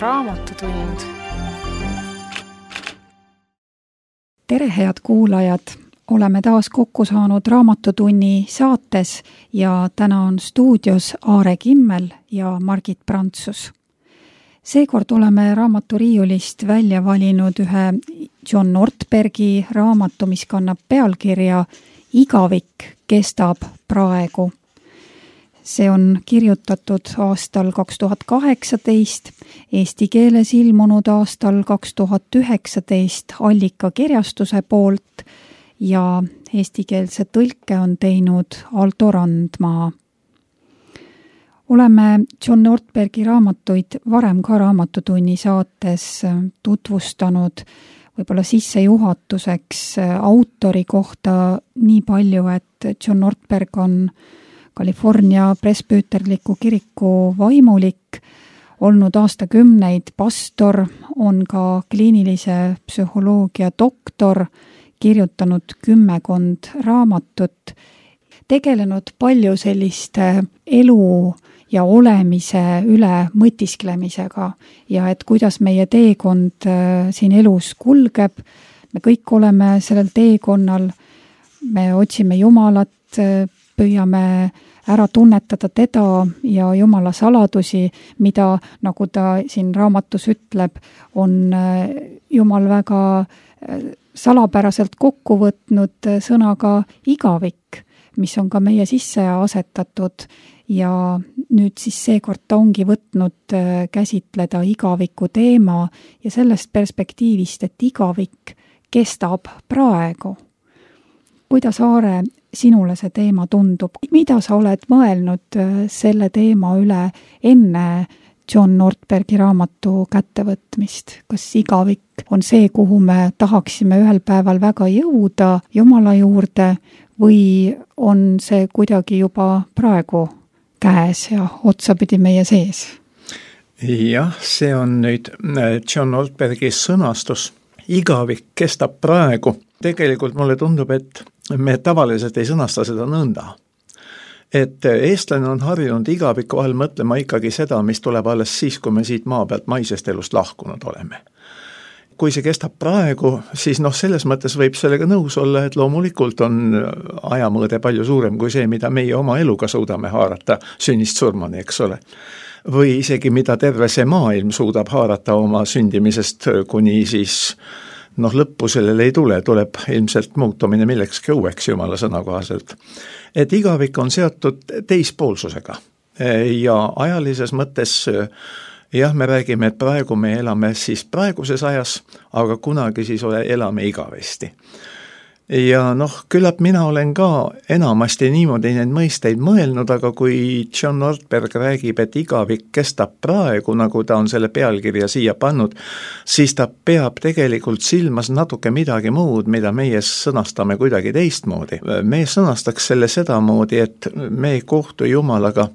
Raamatutund. Tere, head kuulajad! Oleme taas kokku saanud Raamatutunni saates ja täna on stuudios Aare Kimmel ja Margit Prantsus. Seekord oleme raamaturiiulist välja valinud ühe John Ortbergi raamatu, mis kannab pealkirja Igavik kestab praegu. See on kirjutatud aastal 2018, eesti keeles ilmunud aastal 2019 Allika kirjastuse poolt ja eestikeelse tõlke on teinud Aldo Randmaa. Oleme John Ortbergi raamatuid varem ka Raamatutunni saates tutvustanud võib-olla sissejuhatuseks autori kohta nii palju, et John Ortberg on California presbüüterliku kiriku vaimulik, olnud aastakümneid pastor, on ka kliinilise psühholoogia doktor, kirjutanud 10 raamatut, tegelenud palju selliste elu ja olemise üle mõtisklemisega ja et kuidas meie teekond siin elus kulgeb. Me kõik oleme sellel teekonnal, me otsime Jumalat, püüame ära tunnetada teda ja Jumala saladusi, mida, nagu ta siin raamatus ütleb, on Jumal väga salapäraselt kokku võtnud sõnaga igavik, mis on ka meie sisse asetatud ja nüüd siis seekord ta ongi võtnud käsitleda igaviku teema ja sellest perspektiivist, et igavik kestab praegu. Kuidas, Aare, sinule see teema tundub? Mida sa oled mõelnud selle teema üle enne John Ortbergi raamatu kättevõtmist? Kas igavik on see, kuhu me tahaksime ühel päeval väga jõuda Jumala juurde või on see kuidagi juba praegu käes ja otsapidi meie sees? Jah, see on nüüd John Ortbergi sõnastus. Igavik kestab praegu. Tegelikult mulle tundub, et me tavaliselt ei sõnasta seda nõnda. Et eestlane on harjunud igaviku all mõtlema ikkagi seda, mis tuleb alles siis, kui me siit maa pealt maisest elust lahkunud oleme. Kui see kestab praegu, siis selles mõttes võib sellega nõus olla, et loomulikult on ajamõõde palju suurem kui see, mida meie oma eluga suudame haarata sünnist surmani, eks ole. Või isegi mida terve see maailm suudab haarata oma sündimisest kuni siis lõppu sellele ei tule, tuleb ilmselt muutumine millekski uueks Jumala sõna kohaselt. Et igavik on seotud teispoolsusega ja ajalises mõttes jah, me räägime, et praegu me elame siis praeguses ajas, aga kunagi siis elame igavesti. Ja küllap mina olen ka enamasti niimoodi neid mõisteid mõelnud, aga kui John Ortberg räägib, et igavik kestab praegu, nagu ta on selle pealkirja siia pannud, siis ta peab tegelikult silmas natuke midagi muud, mida meie sõnastame kuidagi teistmoodi. Me sõnastaks selle sedamoodi, et me ei kohtu Jumalaga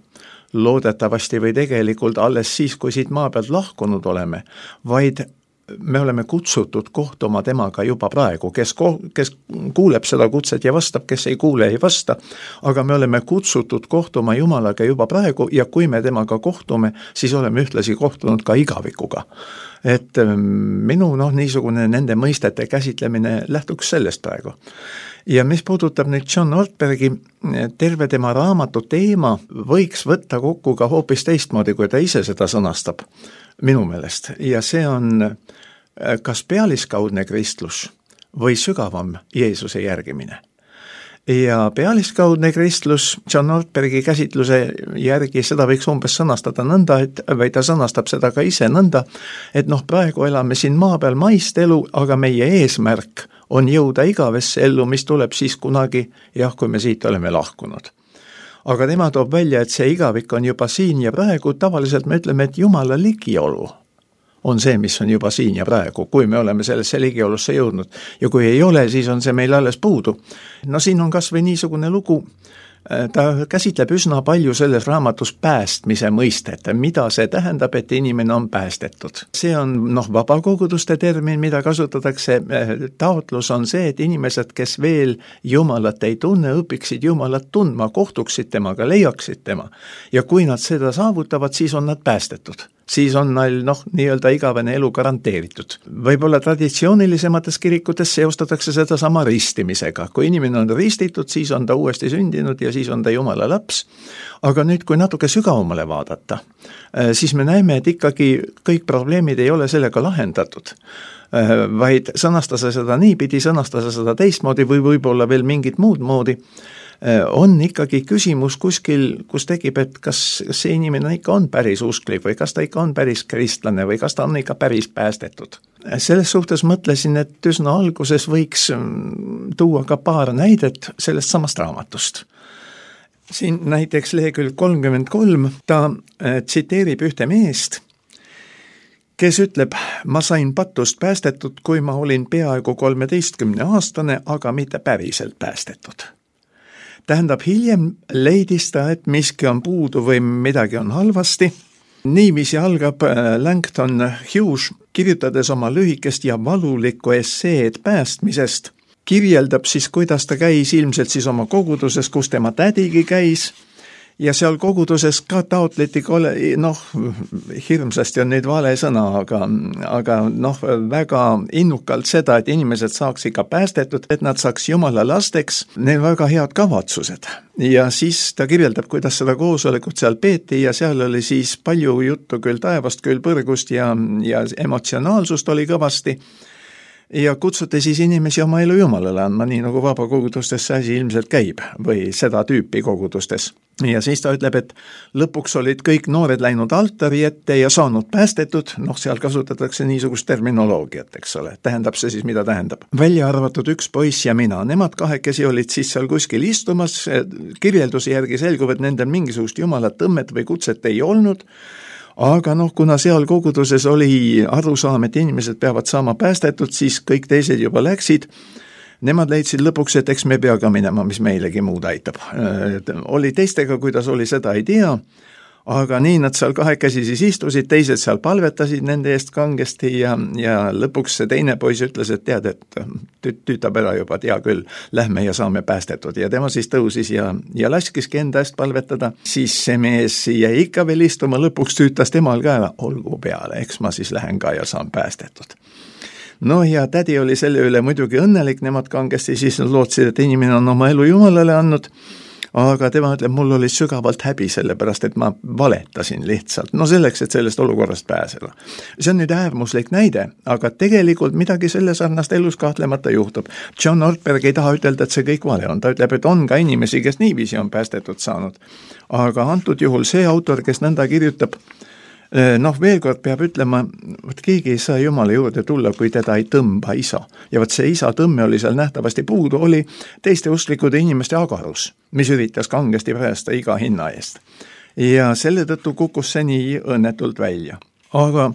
loodetavasti või tegelikult alles siis, kui siit maa pealt lahkunud oleme, vaid me oleme kutsutud kohtuma temaga juba praegu, kes kuuleb seda kutset ja vastab, kes ei kuule, ei vasta, aga me oleme kutsutud kohtuma Jumalaga juba praegu ja kui me temaga kohtume, siis oleme ühtlasi kohtunud ka igavikuga. Et minu niisugune nende mõistete käsitlemine lähtuks sellest praegu. Ja mis puudutab nüüd John Ortbergi, terve tema raamatu teema võiks võtta kokku ka hoopis teistmoodi, kui ta ise seda sõnastab minu meelest. Ja see on kas pealiskaudne kristlus või sügavam Jeesuse järgimine. Ja pealiskaudne kristlus John Ortbergi käsitluse järgi seda võiks umbes sõnastada nõnda, või ta sõnastab seda ka ise nõnda, et praegu elame siin maa peal maist elu, aga meie eesmärk on jõuda igavesse ellu, mis tuleb siis kunagi, kui me siit oleme lahkunud. Aga tema toob välja, et see igavik on juba siin ja praegu, tavaliselt me ütleme, et Jumala ligiolu on see, mis on juba siin ja praegu, kui me oleme sellesse ligiolusse jõudnud. Ja kui ei ole, siis on see meil alles puudu. Siin on kas või niisugune lugu, ta käsitleb üsna palju selles raamatus päästmise mõistet, mida see tähendab, et inimene on päästetud. See on vabakoguduste termin, mida kasutatakse. Taotlus on see, et inimesed, kes veel Jumalat ei tunne, õpiksid Jumalat tundma, kohtuksid temaga, leiaksid tema. Ja kui nad seda saavutavad, siis on nad päästetud. siis on neil nii-öelda igavene elu garanteeritud. Võib-olla traditsioonilisemates kirikutes seostatakse seda sama ristimisega. Kui inimene on ristitud, siis on ta uuesti sündinud ja siis on ta Jumala laps. Aga nüüd, kui natuke sügavamale vaadata, siis me näeme, et ikkagi kõik probleemid ei ole sellega lahendatud, vaid sõnastada seda niipidi, sõnastada seda teistmoodi või võib-olla veel mingit muud moodi, on ikkagi küsimus kuskil, kus tekib, et kas see inimene ikka on päris usklik või kas ta ikka on päris kristlane või kas ta on ikka päris päästetud. Selles suhtes mõtlesin, et üsna alguses võiks tuua ka paar näidet sellest samast raamatust. Siin näiteks lehekülg 33, ta tsiteerib ühte meest, kes ütleb, ma sain patust päästetud, kui ma olin peaaegu 13-aastane, aga mitte päriselt päästetud. Tähendab, hiljem leidis ta, et miski on puudu või midagi on halvasti. Niiviisi algab Langton Hughes, kirjutades oma lühikest ja valulikku esseed päästmisest. Kirjeldab siis, kuidas ta käis ilmselt siis oma koguduses, kus tema tädigi käis. Ja seal koguduses ka taotleti, hirmsasti on nüüd vale sõna, aga väga innukalt seda, et inimesed saaks ikka päästetud, et nad saaks Jumala lasteks, neil väga head kavatsused. Ja siis ta kirjeldab, kuidas seda koosolekut seal peeti ja seal oli siis palju juttu küll taevast, küll põrgust ja emotsionaalsust oli kõvasti. Ja kutsuti siis inimesi oma elu Jumalale andma, nii nagu vabakogudustes see asi ilmselt käib või seda tüüpi kogudustes. Ja siis ta ütleb, et lõpuks olid kõik noored läinud altari ette ja saanud päästetud, seal kasutatakse niisugust terminoloogiat, eks ole, tähendab see siis, mida tähendab. Välja arvatud üks poiss ja mina, nemad kahekesi olid siis seal kuskil istumas, kirjelduse järgi selgub, et nendel mingisugust Jumala tõmmet või kutset ei olnud, aga kuna seal koguduses oli arusaam, et inimesed peavad saama päästetud, siis kõik teised juba läksid. Nemad leidsid lõpuks, et eks me pea ka minema, mis meilegi muud aitab. Oli teistega, kuidas oli, seda ei tea, aga nii nad seal kahekesi siis istusid, teised seal palvetasid nende eest kangesti ja lõpuks see teine poiss ütles, et tead, et tüütab ära juba, tea küll, lähme ja saame päästetud. Ja tema siis tõusis ja laskiski enda eest palvetada, siis see mees jäi ikka veel istuma, lõpuks tüütas temal ka ära, olgu peale, eks ma siis lähen ka ja saan päästetud. Ja tädi oli selle üle muidugi õnnelik, nemad kangesti siis lootsid, et inimene on oma elu Jumalale andnud, aga tema ütleb, mul oli sügavalt häbi sellepärast, et ma valetasin lihtsalt, selleks, et sellest olukorrast pääseda. See on nüüd äärmuslik näide, aga tegelikult midagi selle sarnast elus kahtlemata juhtub. John Ortberg ei taha ütelda, et see kõik vale on, ta ütleb, et on ka inimesi, kes niiviisi on päästetud saanud. Aga antud juhul see autor, kes nõnda kirjutab, veel kord peab ütlema, et keegi ei saa Jumala juurde tulla, kui teda ei tõmba isa. Ja see isa tõmme oli seal nähtavasti puudu, oli teiste usklikude inimeste agarus, mis üritas kangesti päästa iga hinna eest. Ja selle tõttu kukkus see nii õnnetult välja. Aga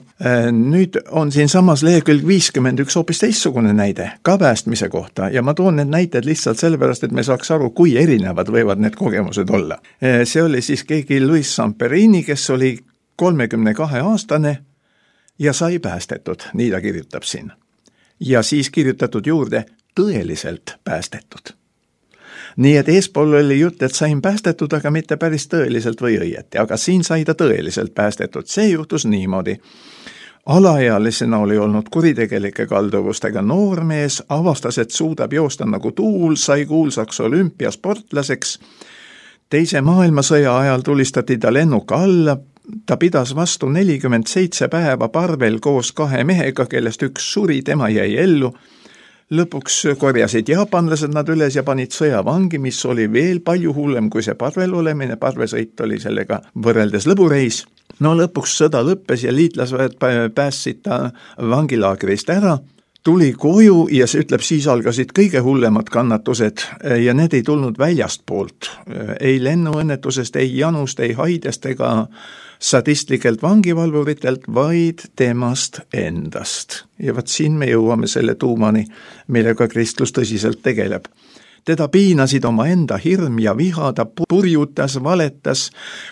nüüd on siin samas lehekülg 51 hoopis teistsugune näide, ka päästmise kohta, ja ma toon need näited lihtsalt sellepärast, et me saaks aru, kui erinevad võivad need kogemused olla. See oli siis keegi Luis Samperini, kes oli 32-aastane ja sai päästetud, nii ta kirjutab siin. Ja siis kirjutatud juurde tõeliselt päästetud. Nii et eespool oli jutt, et sain päästetud, aga mitte päris tõeliselt või õieti, aga siin sai ta tõeliselt päästetud. See juhtus niimoodi. Alaealisena oli olnud kuritegelike kalduvustega noormees, avastas, et suudab joosta nagu tuul, sai kuulsaks olümpiasportlaseks. Teise maailmasõja ajal tulistati ta lennuka alla, ta pidas vastu 47 päeva parvel koos 2 mehega, kellest üks suri, tema jäi ellu. Lõpuks korjasid jaapanlased nad üles ja panid sõjavangi, mis oli veel palju hullem kui see parvel olemine. Parvesõit oli sellega võrreldes lõbureis. Lõpuks sõda lõppes ja liitlasväed päästsid ta vangilaagrist ära. Tuli koju ja see ütleb, siis algasid kõige hullemad kannatused ja need ei tulnud väljast poolt. Ei lennuõnnetusest, ei janust, ei haidest ega sadistlikelt vangivalvuritelt, vaid temast endast. Ja siin me jõuame selle tuumani, millega kristlus tõsiselt tegeleb. Teda piinasid oma enda hirm ja viha, ta purjutas, valetas,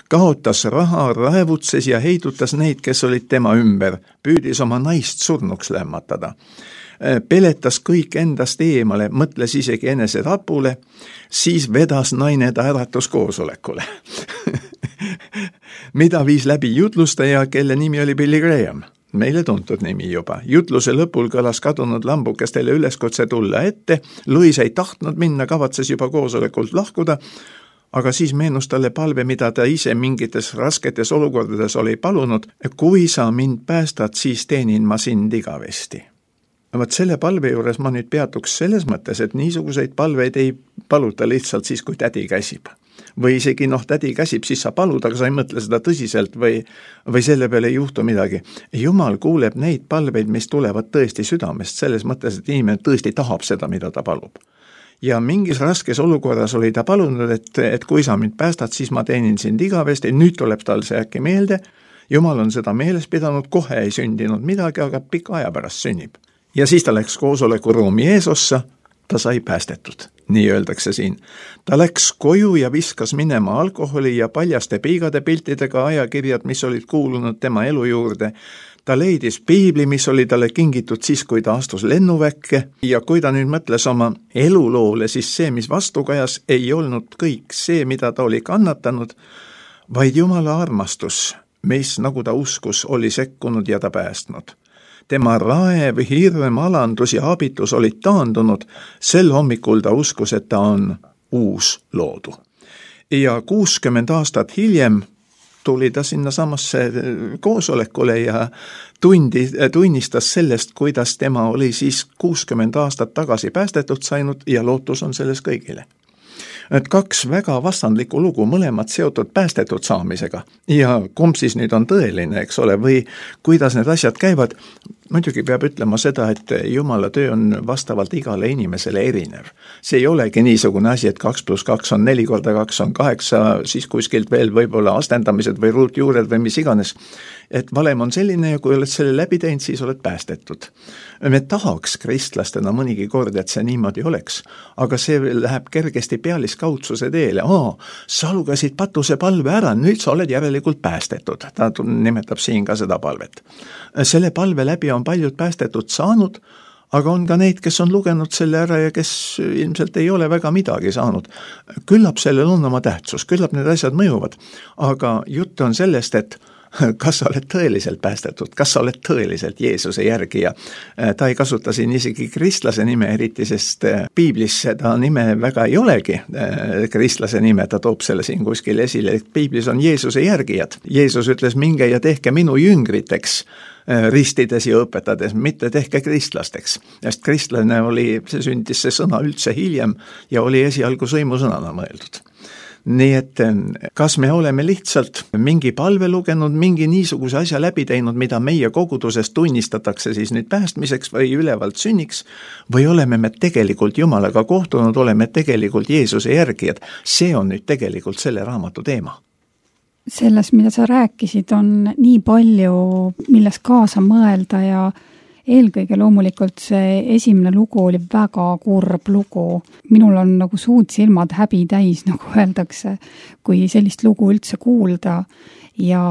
kaotas raha, raevutses ja heidutas neid, kes olid tema ümber, püüdis oma naist surnuks lämmatada. Peletas kõik endast eemale, mõtles isegi enese rapule, siis vedas naine ta äratuskoosolekule. mida viis läbi jutlustaja, kelle nimi oli Billy Graham. Meile tuntud nimi juba. Jutluse lõpul kõlas kadunud lambukestele üleskutse tulla ette, Louis ei tahtnud minna, kavatses juba koosolekult lahkuda, aga siis meenus talle palve, mida ta ise mingites rasketes olukordades oli palunud, kui sa mind päästad, siis teenin ma sind igavesti. Vaat selle palve juures ma nüüd peatuks selles mõttes, et niisuguseid palveid ei paluta lihtsalt siis, kui tädi käsib. Või isegi tädi käsib, siis sa palud, aga sa ei mõtle seda tõsiselt või selle peale ei juhtu midagi. Jumal kuuleb neid palveid, mis tulevad tõesti südamest, selles mõttes, et inimene tõesti tahab seda, mida ta palub. Ja mingis raskes olukorras oli ta palunud, et kui sa mind päästad, siis ma teenin sind igavesti, nüüd tuleb tal see äkki meelde, Jumal on seda meeles pidanud, kohe ei sündinud midagi, aga pika aja pärast sünnib. Ja siis ta läks koosolekuruumi eesossa, ta sai päästetud, nii öeldakse siin. Ta läks koju ja viskas minema alkoholi ja paljaste piigade piltidega ajakirjad, mis olid kuulunud tema elu juurde. Ta leidis piibli, mis oli talle kingitud siis, kui ta astus lennuväkke ja kui ta nüüd mõtles oma eluloole, siis see, mis vastukajas, ei olnud kõik see, mida ta oli kannatanud, vaid Jumala armastus, mis, nagu ta uskus, oli sekkunud ja ta päästnud. Tema raev, hirm, alandus ja abitus olid taandunud, sel hommikul ta uskus, et ta on uus loodu. Ja 60 aastat hiljem tuli ta sinna samasse koosolekule ja tunnistas sellest, kuidas tema oli siis 60 aastat tagasi päästetud sainud ja lootus on selles kõigile. Et 2 väga vastandlikku lugu, mõlemad seotud päästetud saamisega ja kumb siis nüüd on tõeline, eks ole, või kuidas need asjad käivad. Muidugi peab ütlema seda, et Jumala töö on vastavalt igale inimesele erinev. See ei olegi niisugune asi, et 2 + 2 on 4 × 2 on 8, siis kuskilt veel võib-olla astendamised või ruutjuured või mis iganes. Et valem on selline ja kui oled selle läbi teinud, siis oled päästetud. Me tahaks kristlastena mõnigi kord, et see niimoodi oleks, aga see läheb kergesti pealiskaudsuse teele. Sa lugesid patuse palve ära, nüüd sa oled järelikult päästetud. Ta nimetab siin ka seda palvet. Selle palve läbi on paljud päästetud saanud, aga on ka neid, kes on lugenud selle ära ja kes ilmselt ei ole väga midagi saanud. Küllap sellel on oma tähtsus, küllap need asjad mõjuvad, aga jutt on sellest, et kas sa oled tõeliselt päästetud, kas sa oled tõeliselt Jeesuse järgija. Ta ei kasuta siin isegi kristlase nime eriti, sest piiblis seda nime väga ei olegi. Kristlase nime, ta toob selle siin kuskil esile, et piiblis on Jeesuse järgijad. Jeesus ütles, minge ja tehke minu jüngriteks, ristides ja õpetades, mitte tehke kristlasteks. Sest kristlane oli, see sündis see sõna üldse hiljem ja oli esialgu sõimusõnana mõeldud. Nii et kas me oleme lihtsalt mingi palve lugenud, mingi niisuguse asja läbi teinud, mida meie koguduses tunnistatakse siis nüüd päästmiseks või ülevalt sünniks, või oleme me tegelikult Jumalaga kohtunud, oleme tegelikult Jeesuse järgijad. See on nüüd tegelikult selle raamatu teema. Selles, mida sa rääkisid, on nii palju, milles kaasa mõelda ja eelkõige loomulikult see esimene lugu oli väga kurb lugu. Minul on nagu suud silmad häbi täis, nagu öeldakse, kui sellist lugu üldse kuulda. Ja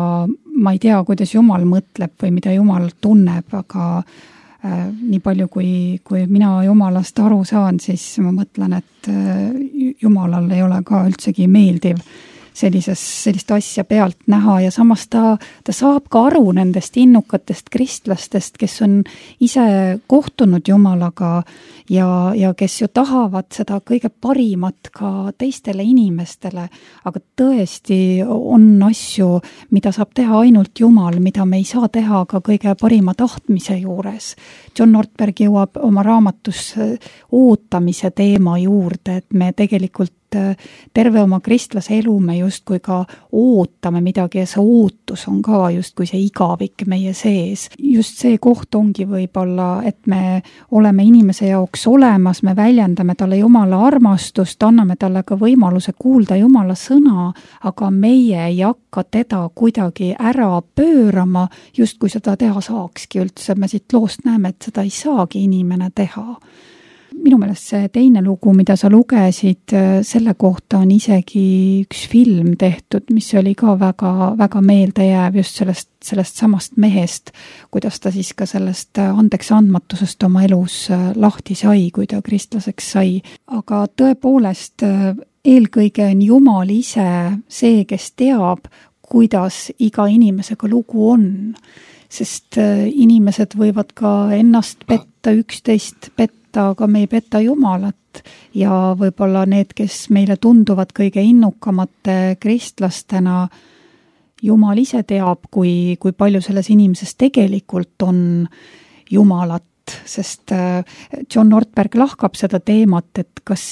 ma ei tea, kuidas Jumal mõtleb või mida Jumal tunneb, aga nii palju, kui mina Jumalast aru saan, siis ma mõtlen, et Jumalal ei ole ka üldsegi meeldiv sellist asja pealt näha ja samas ta saab ka aru nendest innukatest kristlastest, kes on ise kohtunud Jumalaga ja kes ju tahavad seda kõige parimat ka teistele inimestele, aga tõesti on asju, mida saab teha ainult Jumal, mida me ei saa teha ka kõige parima tahtmise juures. John Ortberg jõuab oma raamatus ootamise teema juurde, et me tegelikult terve oma kristlase elu me justkui ka ootame midagi ja see ootus on ka justkui see igavik meie sees. Just see koht ongi võib-olla, et me oleme inimese jaoks olemas, me väljendame talle Jumala armastust, anname talle ka võimaluse kuulda Jumala sõna, aga meie ei hakka teda kuidagi ära pöörama, just kui seda teha saakski üldse. Me siit loost näeme, et seda ei saagi inimene teha. Minu meelest see teine lugu, mida sa lugesid, selle kohta on isegi üks film tehtud, mis oli ka väga, väga meeldejääv just sellest samast mehest, kuidas ta siis ka sellest andeks andmatusest oma elus lahti sai, kui ta kristlaseks sai. Aga tõepoolest eelkõige on Jumal ise see, kes teab, kuidas iga inimesega lugu on. Sest inimesed võivad ka ennast petta, üksteist petta, aga me ei peta Jumalat. Ja võib-olla need, kes meile tunduvad kõige innukamate kristlastena, Jumal ise teab, kui palju selles inimeses tegelikult on Jumalat. Sest John Ortberg lahkab seda teemat, et kas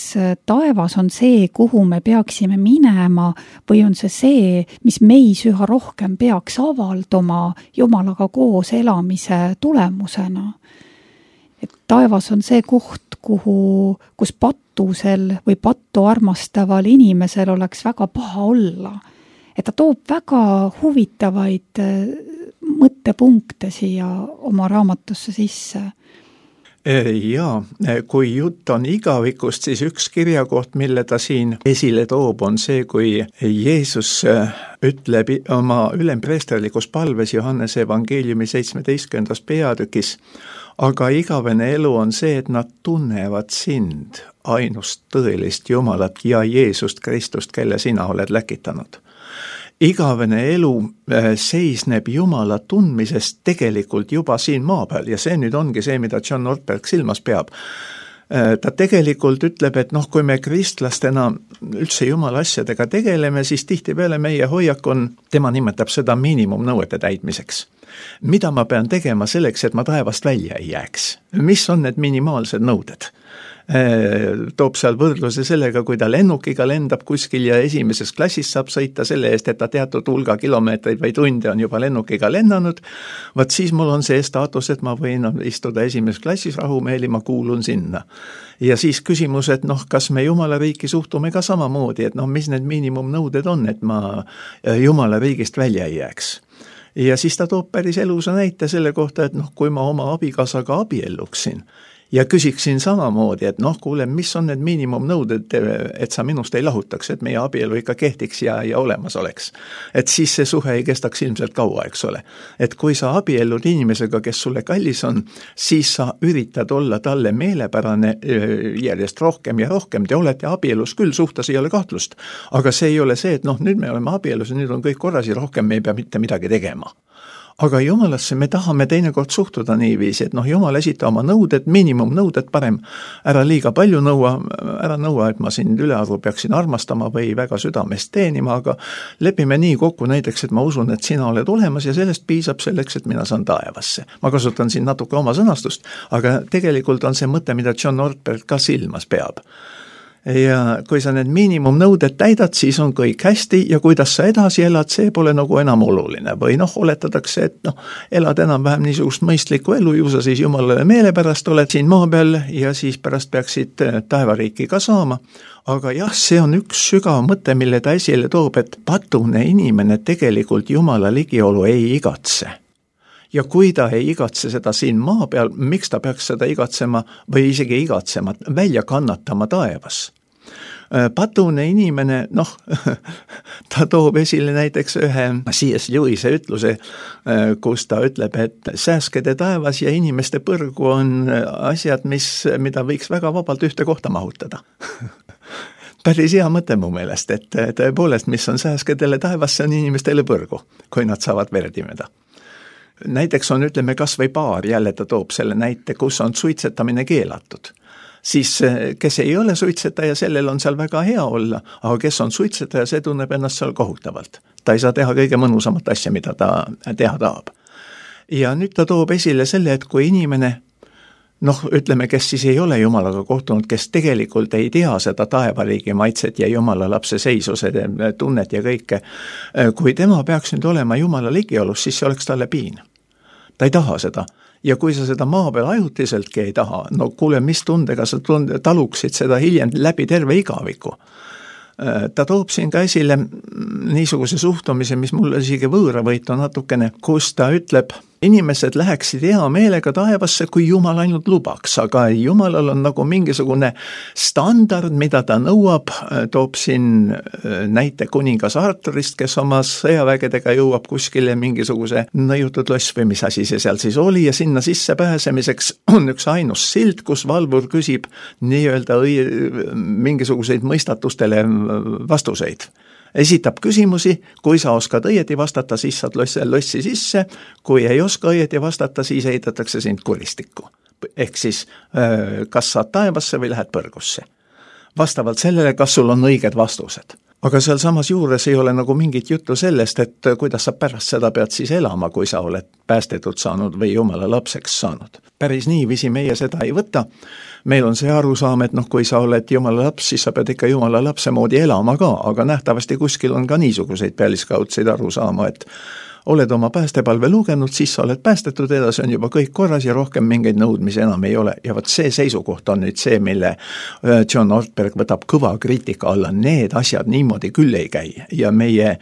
taevas on see, kuhu me peaksime minema või on see, mis meis üha rohkem peaks avalduma Jumalaga koos elamise tulemusena. Et taevas on see koht, kus patusel või pattu armastaval inimesel oleks väga paha olla. Et ta toob väga huvitavaid mõttepunkte siia oma raamatusse sisse. Jaa, kui jutt on igavikust, siis üks kirjakoht, mille ta siin esile toob, on see, kui Jeesus ütleb oma ülempreesterlikus palves Johannese evangeeliumi 17. peatükis, aga igavene elu on see, et nad tunnevad sind, ainust tõelist Jumalat ja Jeesust Kristust, kelle sina oled läkitanud. Igavene elu seisneb Jumala tundmisest tegelikult juba siin maa peal ja see nüüd ongi see, mida John Ortberg silmas peab. Ta tegelikult ütleb, et kui me kristlastena üldse Jumala asjadega tegeleme, siis tihtipeale meie hoiak on, tema nimetab seda miinimumnõuete täitmiseks. Mida ma pean tegema selleks, et ma taevast välja ei jääks? Mis on need minimaalsed nõuded? Toob seal võrdluse sellega, kui ta lennukiga lendab kuskil ja esimeses klassis saab sõita selle eest, et ta teatud hulga kilomeetreid või tunde on juba lennukiga lennanud, vaat siis mul on see staatus, et ma võin istuda esimeses klassis rahumeeli, ma kuulun sinna. Ja siis küsimus, et kas me Jumala riiki suhtume ka samamoodi, et mis need miinimumnõuded on, et ma Jumala riigist välja ei jääks. Ja siis ta toob päris elusa näite selle kohta, et kui ma oma abikaasaga abielluksin, ja küsiksin samamoodi, et kuule, mis on need miinimumnõuded, et sa minust ei lahutaks, et meie abielu ikka kehtiks ja olemas oleks. Et siis see suhe ei kestaks ilmselt kaua, eks ole. Et kui sa abiellud inimesega, kes sulle kallis on, siis sa üritad olla talle meelepärane järjest rohkem ja rohkem. Te olete abielus küll, suhtes ei ole kahtlust. Aga see ei ole see, et nüüd me oleme abielus ja nüüd on kõik korras ja rohkem me ei pea mitte midagi tegema. Aga Jumalasse me tahame teinekord suhtuda niiviisi, et Jumal esita oma nõuded, miinimumnõuded, parem ära liiga palju ära nõua, et ma sind ülearvu peaksin armastama või väga südamest teenima, aga lepime nii kokku näiteks, et ma usun, et sina oled olemas ja sellest piisab selleks, et mina saan taevasse. Ma kasutan siin natuke oma sõnastust, aga tegelikult on see mõte, mida John Ortberg ka silmas peab. Ja kui sa need miinimumnõuded täidad, siis on kõik hästi ja kuidas sa edasi elad, see pole enam oluline. Või oletatakse, et elad enam vähem niisugust mõistlikku elu, ju sa siis Jumalale meelepärast oled siin maa peal ja siis pärast peaksid taevariiki ka saama. Aga jah, see on üks sügav mõte, mille ta esile toob, et patune inimene tegelikult Jumala ligiolu ei igatse. Ja kui ta ei igatse seda siin maa peal, miks ta peaks seda igatsema või isegi igatsema, välja kannatama taevas? Patune inimene, ta toob esile näiteks ühe C.S. Lewis'e ütluse, kus ta ütleb, et sääske te taevas ja inimeste põrgu on asjad, mida võiks väga vabalt ühte kohta mahutada. Päris hea mõte mu meelest, et tõepoolest, mis on sääskedele taevas, see on inimestele põrgu, kui nad saavad verdimeda. Näiteks on, ütleme, kas või paar, jälle ta toob selle näite, kus on suitsetamine keelatud. Siis kes ei ole suitsetaja, sellel on seal väga hea olla, aga kes on suitsetaja, see tunneb ennast seal kohutavalt. Ta ei saa teha kõige mõnusamat asja, mida ta teha tahab. Ja nüüd ta toob esile selle, et kui inimene, ütleme, kes siis ei ole Jumalaga kohtunud, kes tegelikult ei tea seda taevariigi maitset ja Jumala lapse seisuse tunnet ja kõike, kui tema peaks nüüd olema Jumala ligiolus, siis see oleks talle piin. Ta ei taha seda. Ja kui sa seda maa peal ajutiseltki ei taha, kuule, mis tundega sa taluksid seda hiljem läbi terve igaviku. Ta toob siin ka esile niisuguse suhtumise, mis mulle isegi võõravõitu natukene, kus ta ütleb, inimesed läheksid hea meelega taevasse, kui Jumal ainult lubaks, aga Jumalal on nagu mingisugune standard, mida ta nõuab, toob siin näite kuningas Arturist, kes oma sõjavägedega jõuab kuskile mingisuguse nõiutud loss või mis asi see seal siis oli ja sinna sisse pääsemiseks on üks ainus sild, kus valvur küsib nii-öelda mingisuguseid mõistatustele vastuseid. Esitab küsimusi, kui sa oskad õieti vastata, siis saad lossi sisse, kui ei oska õieti vastata, siis ehitatakse sind kuristikku. Ehk siis kas saad taevasse või lähed põrgusse. Vastavalt sellele, kas sul on õiged vastused. Aga seal samas juures ei ole nagu mingit juttu sellest, et kuidas sa pärast seda pead siis elama, kui sa oled päästetud saanud või Jumala lapseks saanud. Päris niiviisi meie seda ei võta. Meil on see arusaam, et kui sa oled Jumala laps, siis sa pead ikka Jumala lapse moodi elama ka, aga nähtavasti kuskil on ka niisuguseid pealiskaudseid arusaama, et oled oma päästepalve lugenud, siis sa oled päästetud edasi, on juba kõik korras ja rohkem mingeid nõudmisi enam ei ole. Ja see seisukoht on nüüd see, mille John Ortberg võtab kõva kriitika alla. Need asjad niimoodi küll ei käi ja meie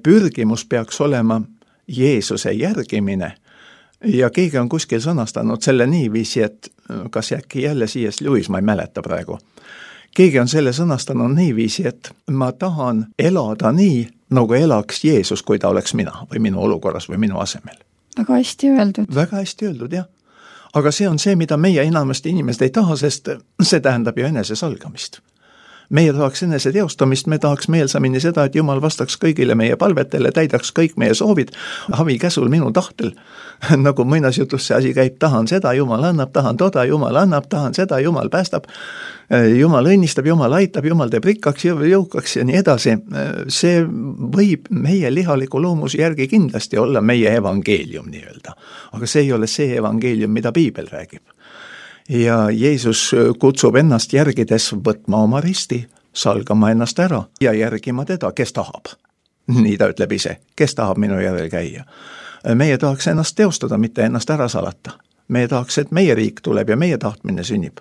pürgimus peaks olema Jeesuse järgimine. Ja keegi on kuskil sõnastanud selle niiviisi, et kas äkki jälle C.S. Lewis, ma ei mäleta praegu. Keegi on selle sõnastanud niiviisi, et ma tahan elada nii, nagu elaks Jeesus, kui ta oleks mina või minu olukorras või minu asemel. Väga hästi öeldud. Väga hästi öeldud, jah. Aga see on see, mida meie enamasti inimesed ei taha, sest see tähendab ju enese salgamist. Meie tahaks enese teostamist, me tahaks meelsamini seda, et Jumal vastaks kõigile meie palvetele, täidaks kõik meie soovid, havi käsul minu tahtel. Nagu mõinas jutus see asi käib, tahan seda, Jumal annab, tahan toda, Jumal annab, tahan seda, Jumal päästab, Jumal õnnistab, Jumal aitab, Jumal teeb rikkaks, jõukaks ja nii edasi. See võib meie lihaliku loomuse järgi kindlasti olla meie evangeelium nii-öelda. Aga see ei ole see evangeelium, mida Piibel räägib. Ja Jeesus kutsub ennast järgides võtma oma risti, salgama ennast ära ja järgima teda, kes tahab. Nii ta ütleb ise, kes tahab minu järel käia. Meie tahaks ennast teostada, mitte ennast ära salata. Meie tahaks, et meie riik tuleb ja meie tahtmine sünnib.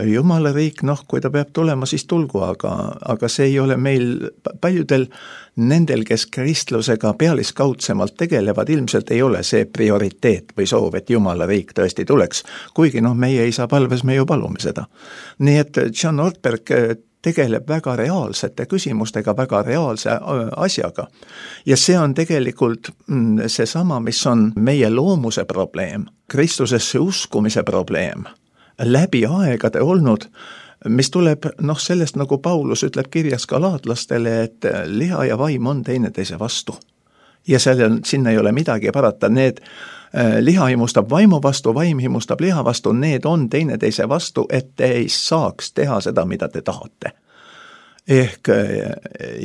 Jumala riik, kui ta peab tulema, siis tulgu, aga see ei ole meil paljudel nendel, kes kristlusega pealiskaudsemalt tegelevad, ilmselt ei ole see prioriteet või soov, et Jumala riik tõesti tuleks. Kuigi meie ei saa palves, me ju palume seda. Nii et John Ortberg tegeleb väga reaalsete küsimustega, väga reaalse asjaga. Ja see on tegelikult seesama, mis on meie loomuse probleem, Kristusesse uskumise probleem. Läbi aegade olnud, mis tuleb sellest, nagu Paulus ütleb kirjas galaatlastele, et liha ja vaim on teineteise vastu. Ja sinna ei ole midagi parata, need liha himustab vaimu vastu, vaim himustab liha vastu, need on teineteise vastu, et te ei saaks teha seda, mida te tahate. Ehk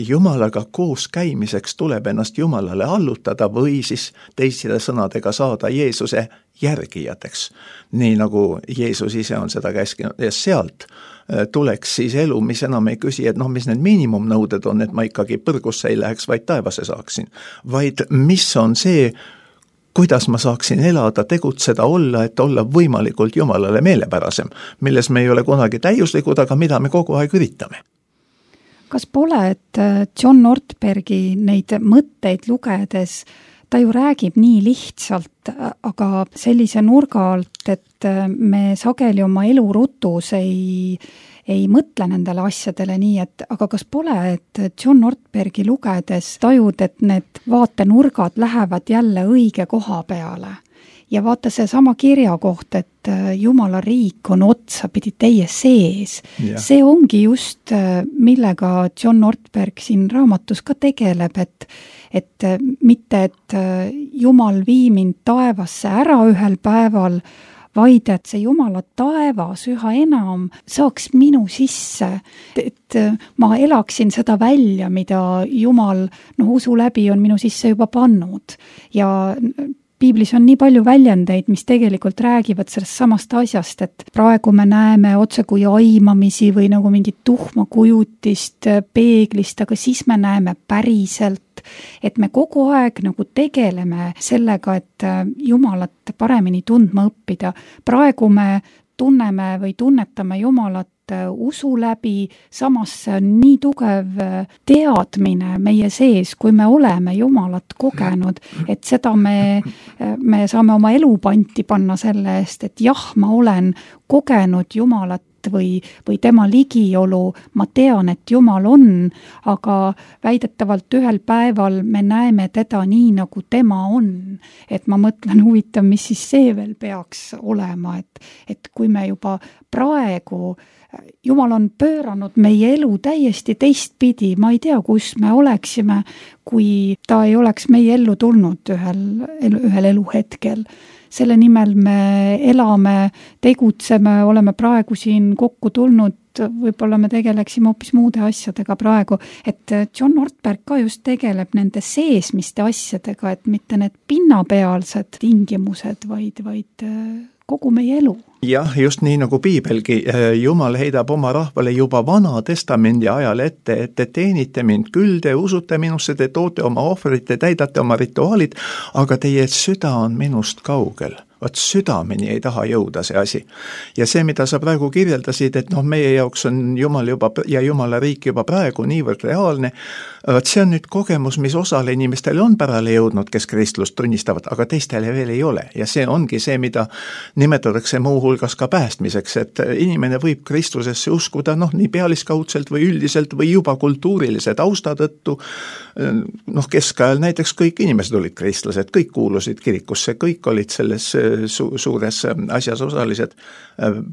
Jumalaga koos käimiseks tuleb ennast Jumalale allutada või siis teiside sõnadega saada Jeesuse järgijateks. Nii nagu Jeesus ise on seda käskinud ja sealt tuleks siis elu, mis enam ei küsi, et mis need miinimumnõuded on, et ma ikkagi põrgusse ei läheks, vaid taevasse saaksin. Vaid mis on see, kuidas ma saaksin elada, tegutseda, olla, et olla võimalikult Jumalale meelepärasem, milles me ei ole kunagi täiuslikud, aga mida me kogu aeg üritame. Kas pole, et John Ortbergi neid mõtteid lugedes, ta ju räägib nii lihtsalt, aga sellise nurga alt, et me sageli oma elurutus ei mõtle nendele asjadele nii, et aga kas pole, et John Ortbergi lugedes tajud, et need vaatenurgad lähevad jälle õige koha peale? Ja vaata see sama kirja koht, et Jumala riik on otsapidi teie sees. Ja. See ongi just, millega John Ortberg siin raamatus ka tegeleb, et mitte, et Jumal vii mind taevasse ära ühel päeval, vaid et see Jumala taevas üha enam saaks minu sisse, et ma elaksin seda välja, mida Jumal usu läbi on minu sisse juba pannud. Ja Piiblis on nii palju väljendeid, mis tegelikult räägivad sellest samast asjast, et praegu me näeme otse kui aimamisi või nagu mingit tuhma kujutist peeglist, aga siis me näeme päriselt, et me kogu aeg nagu tegeleme sellega, et Jumalat paremini tundma õppida. Praegu me tunneme või tunnetame Jumalat usu läbi, samas see on nii tugev teadmine meie sees, kui me oleme Jumalat kogenud, et seda me saame oma elu panti panna selle eest, et jah, ma olen kogenud Jumalat või tema ligiolu, ma tean, et Jumal on, aga väidetavalt ühel päeval me näeme teda nii, nagu tema on. Et ma mõtlen, huvitav, mis siis see veel peaks olema, et kui me juba praegu, Jumal on pööranud meie elu täiesti teistpidi, ma ei tea, kus me oleksime, kui ta ei oleks meie ellu tulnud ühel eluhetkel. Selle nimel me elame, tegutseme, oleme praegu siin kokku tulnud, võib-olla me tegeleksime hoopis muude asjadega praegu, et John Ortberg ka just tegeleb nende seesmiste asjadega, et mitte need pinnapealsed tingimused, vaid kogu meie elu. Jah, just nii nagu piibelgi, Jumal heidab oma rahvale juba Vana Testamendi ajal ette, et te teenite mind küll, te usute minusse, te toote oma ohvrit, te täidate oma rituaalid, aga teie süda on minust kaugel. Vaat südameni ei taha jõuda see asi. Ja see, mida sa praegu kirjeldasid, et meie jaoks on Jumal juba ja Jumala riik juba praegu niivõrd reaalne, vaat see on nüüd kogemus, mis osale inimestele on pärale jõudnud, kes kristlust tunnistavad, aga teistele veel ei ole. Ja see ongi see, mida nimetatakse muu hulgas ka päästmiseks, et inimene võib Kristusesse uskuda nii pealiskaudselt või üldiselt või juba kultuurilise tausta tõttu. Keskajal näiteks kõik inimesed olid kristlased, kõik kuulusid kirikusse, kõik olid selles suures asjas osalised.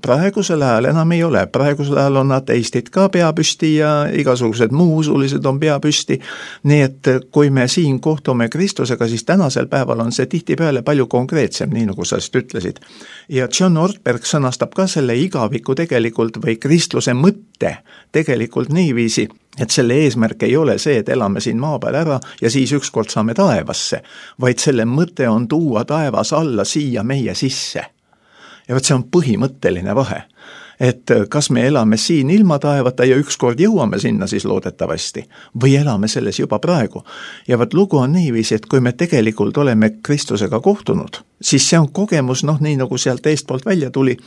Praegusel ajal enam ei ole, praegusel ajal on ateistid ka pea püsti ja igasugused muusulised on pea püsti, nii et kui me siin kohtume Kristusega, siis tänasel päeval on see tihtipeale palju konkreetsem, nii nagu sa just ütlesid. Ja John Ortberg sõnastab ka selle igaviku tegelikult või kristluse mõtte tegelikult niiviisi, et selle eesmärk ei ole see, et elame siin maa peal ära ja siis ükskord saame taevasse, vaid selle mõte on tuua taevas alla siia meie sisse. Ja võt see on põhimõtteline vahe, et kas me elame siin ilma taevata ja ükskord jõuame sinna siis loodetavasti või elame selles juba praegu. Ja võt lugu on niiviisi, et kui me tegelikult oleme Kristusega kohtunud, siis see on kogemus, nii nagu sealt eestpoolt välja tuli,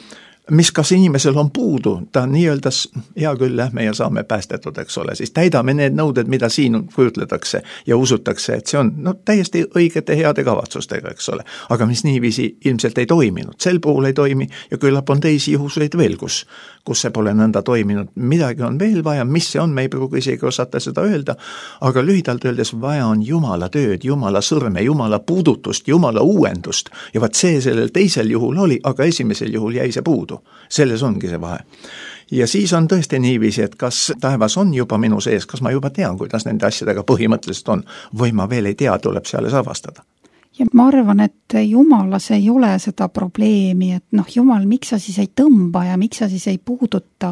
mis kas inimesel on puudu, ta nii-öelda, hea küll, lähme ja saame päästetud, eks ole, siis täidame need nõuded, mida siin kujutletakse ja usutakse, et see on täiesti õigete heade kavatsustega, eks ole, aga mis niiviisi ilmselt ei toiminud, sel puhul ei toimi ja küllap on teisi juhuseid veel, kus see pole nõnda toiminud, midagi on veel vaja, mis see on, me ei pruugi isegi osata seda öelda, aga lühidalt öeldes vaja on Jumala tööd, Jumala sõrme, Jumala puudutust, Jumala uuendust ja vaat see sellel teisel juhul oli, aga esimesel juhul jäi see puudu. Selles ongi see vahe. Ja siis on tõesti niiviisi, et kas taevas on juba minu sees, kas ma juba tean, kuidas nende asjadega põhimõtteliselt on, või ma veel ei tea, tuleb selles avastada. Ja ma arvan, et Jumalas ei ole seda probleemi, et Jumal, miks sa siis ei tõmba ja miks sa siis ei puuduta,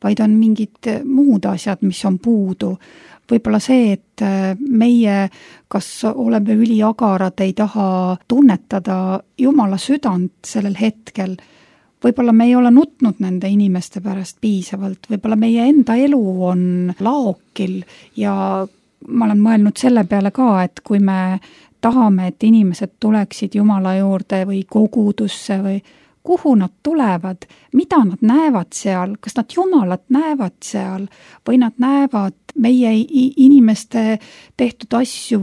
vaid on mingid muud asjad, mis on puudu. Võib-olla see, et meie, kas oleme üliagarad, ei taha tunnetada Jumala südant sellel hetkel. Võib-olla me ei ole nutnud nende inimeste pärast piisavalt, võib-olla meie enda elu on laokil ja ma olen mõelnud selle peale ka, et kui me tahame, et inimesed tuleksid Jumala juurde või kogudusse või kuhu nad tulevad, mida nad näevad seal, kas nad Jumalat näevad seal või nad näevad meie inimeste tehtud asju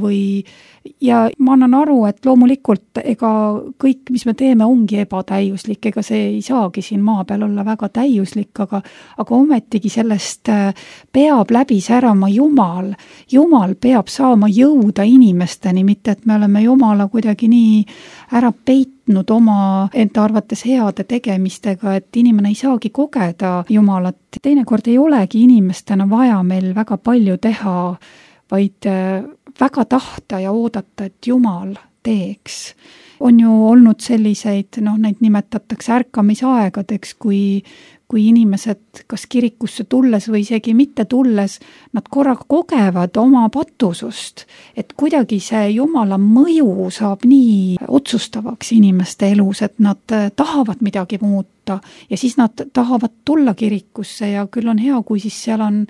ja ma annan aru, et loomulikult ega kõik, mis me teeme, ongi ebatäiuslik, ega see ei saagi siin maa peal olla väga täiuslik, aga ometigi sellest peab läbi särama Jumal. Jumal peab saama jõuda inimesteni, mitte et me oleme Jumala kuidagi nii ära peitnud oma enda arvates heade tegemistega, et inimene ei saagi kogeda Jumalat. Teinekord ei olegi inimestena vaja meil väga palju teha, vaid väga tahta ja oodata, et Jumal teeks. On ju olnud selliseid, neid nimetatakse ärkamisaegadeks, kui inimesed kas kirikusse tulles või isegi mitte tulles, nad korraga kogevad oma patusust, et kuidagi see Jumala mõju saab nii otsustavaks inimeste elus, et nad tahavad midagi muuta ja siis nad tahavad tulla kirikusse ja küll on hea, kui siis seal on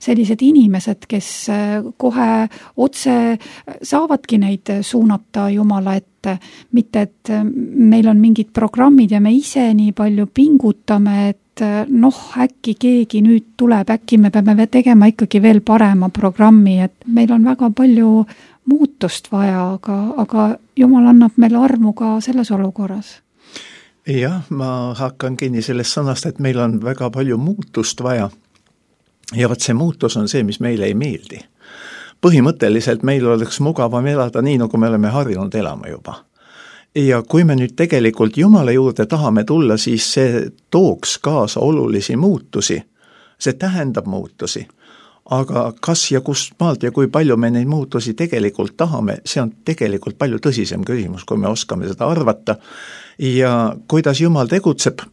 sellised inimesed, kes kohe otse saavadki neid suunata Jumala ette, mitte et meil on mingid programmid ja me ise nii palju pingutame, et äkki keegi nüüd tuleb, äkki me peame tegema ikkagi veel parema programmi, et meil on väga palju muutust vaja, aga Jumal annab meile armu ka selles olukorras. Jah, ma hakkan kinni sellest sõnast, et meil on väga palju muutust vaja. Ja vaat see muutus on see, mis meile ei meeldi. Põhimõtteliselt meil oleks mugavam elada nii, nagu me oleme harjunud elama juba. Ja kui me nüüd tegelikult Jumala juurde tahame tulla, siis see tooks kaasa olulisi muutusi. See tähendab muutusi. Aga kas ja kust maalt ja kui palju me neid muutusi tegelikult tahame, see on tegelikult palju tõsisem küsimus, kui me oskame seda arvata. Ja kuidas Jumal tegutseb,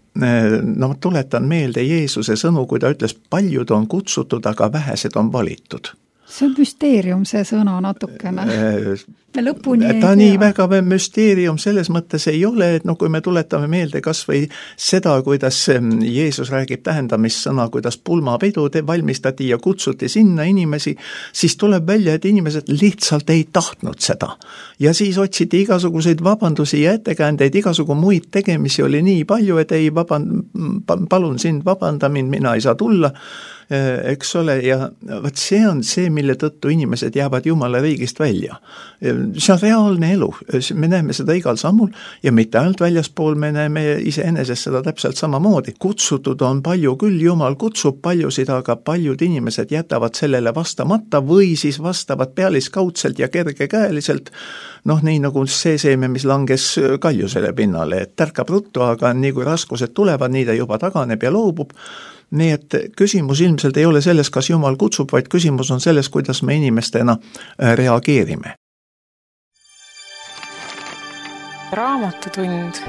tuletan meelde Jeesuse sõnu, kui ta ütles, paljud on kutsutud, aga vähesed on valitud. See on müsteerium, see sõna natukene. Me lõpuni ei ta nii väga müsteerium selles mõttes ei ole, et kui me tuletame meelde kas või seda, kuidas Jeesus räägib tähendamissõna, kuidas pulmapidu valmistati ja kutsuti sinna inimesi, siis tuleb välja, et inimesed lihtsalt ei tahtnud seda. Ja siis otsiti igasuguseid vabandusi ja ettekäändeid, igasugu muid tegemisi oli nii palju, et ei palun sind vabanda mind, mina ei saa tulla, eks ole, ja vaat see on see, mille tõttu inimesed jäävad Jumala riigist välja. See on reaalne elu, me näeme seda igal sammul ja mitte ainult väljaspool, me näeme iseenesest seda täpselt samamoodi. Kutsutud on palju küll, Jumal kutsub paljusid, aga paljud inimesed jätavad sellele vastamata või siis vastavad pealiskaudselt ja kergekäeliselt, nii nagu see seeme, mis langes kaljusele pinnale, et tärkab ruttu, aga nii kui raskused tulevad, nii ta juba taganeb ja loobub. Nii et küsimus ilmselt ei ole selles, kas Jumal kutsub, vaid küsimus on selles, kuidas me inimestena reageerime. Raamatutund.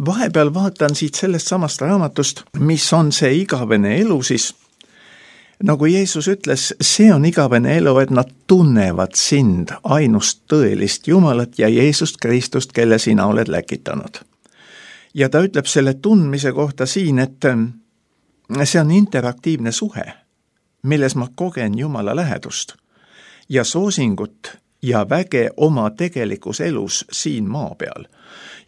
Vahepeal vaatan siit sellest samast raamatust, mis on see igavene elu siis. Nagu Jeesus ütles, see on igavene elu, et nad tunnevad sind, ainust tõelist Jumalat ja Jeesust Kristust, kelle sina oled läkitanud. Ja ta ütleb selle tundmise kohta siin, et see on interaktiivne suhe, milles ma kogen Jumala lähedust ja soosingut ja väge oma tegelikus elus siin maa peal.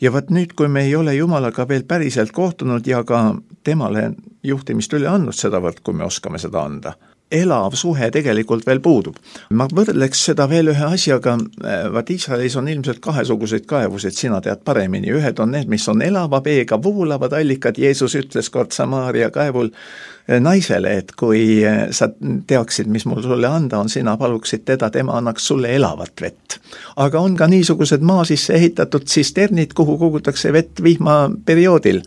Ja vaat nüüd, kui me ei ole Jumalaga veel päriselt kohtunud ja ka temale juhtimist üle andnud sedavõrd, kui me oskame seda anda, elav suhe tegelikult veel puudub. Ma võrdleks seda veel ühe asjaga, vaat Iisraelis on ilmselt kahesuguseid kaevusid, sina tead paremini. Ühed on need, mis on elava veega voolavad allikad. Jeesus ütles kord Samaaria kaevul naisele, et kui sa teaksid, mis mul sulle anda on, sina paluksid teda, tema annaks sulle elavat vett. Aga on ka niisugused maa sisse ehitatud tsisternid, kuhu kogutakse vett vihmaperioodil.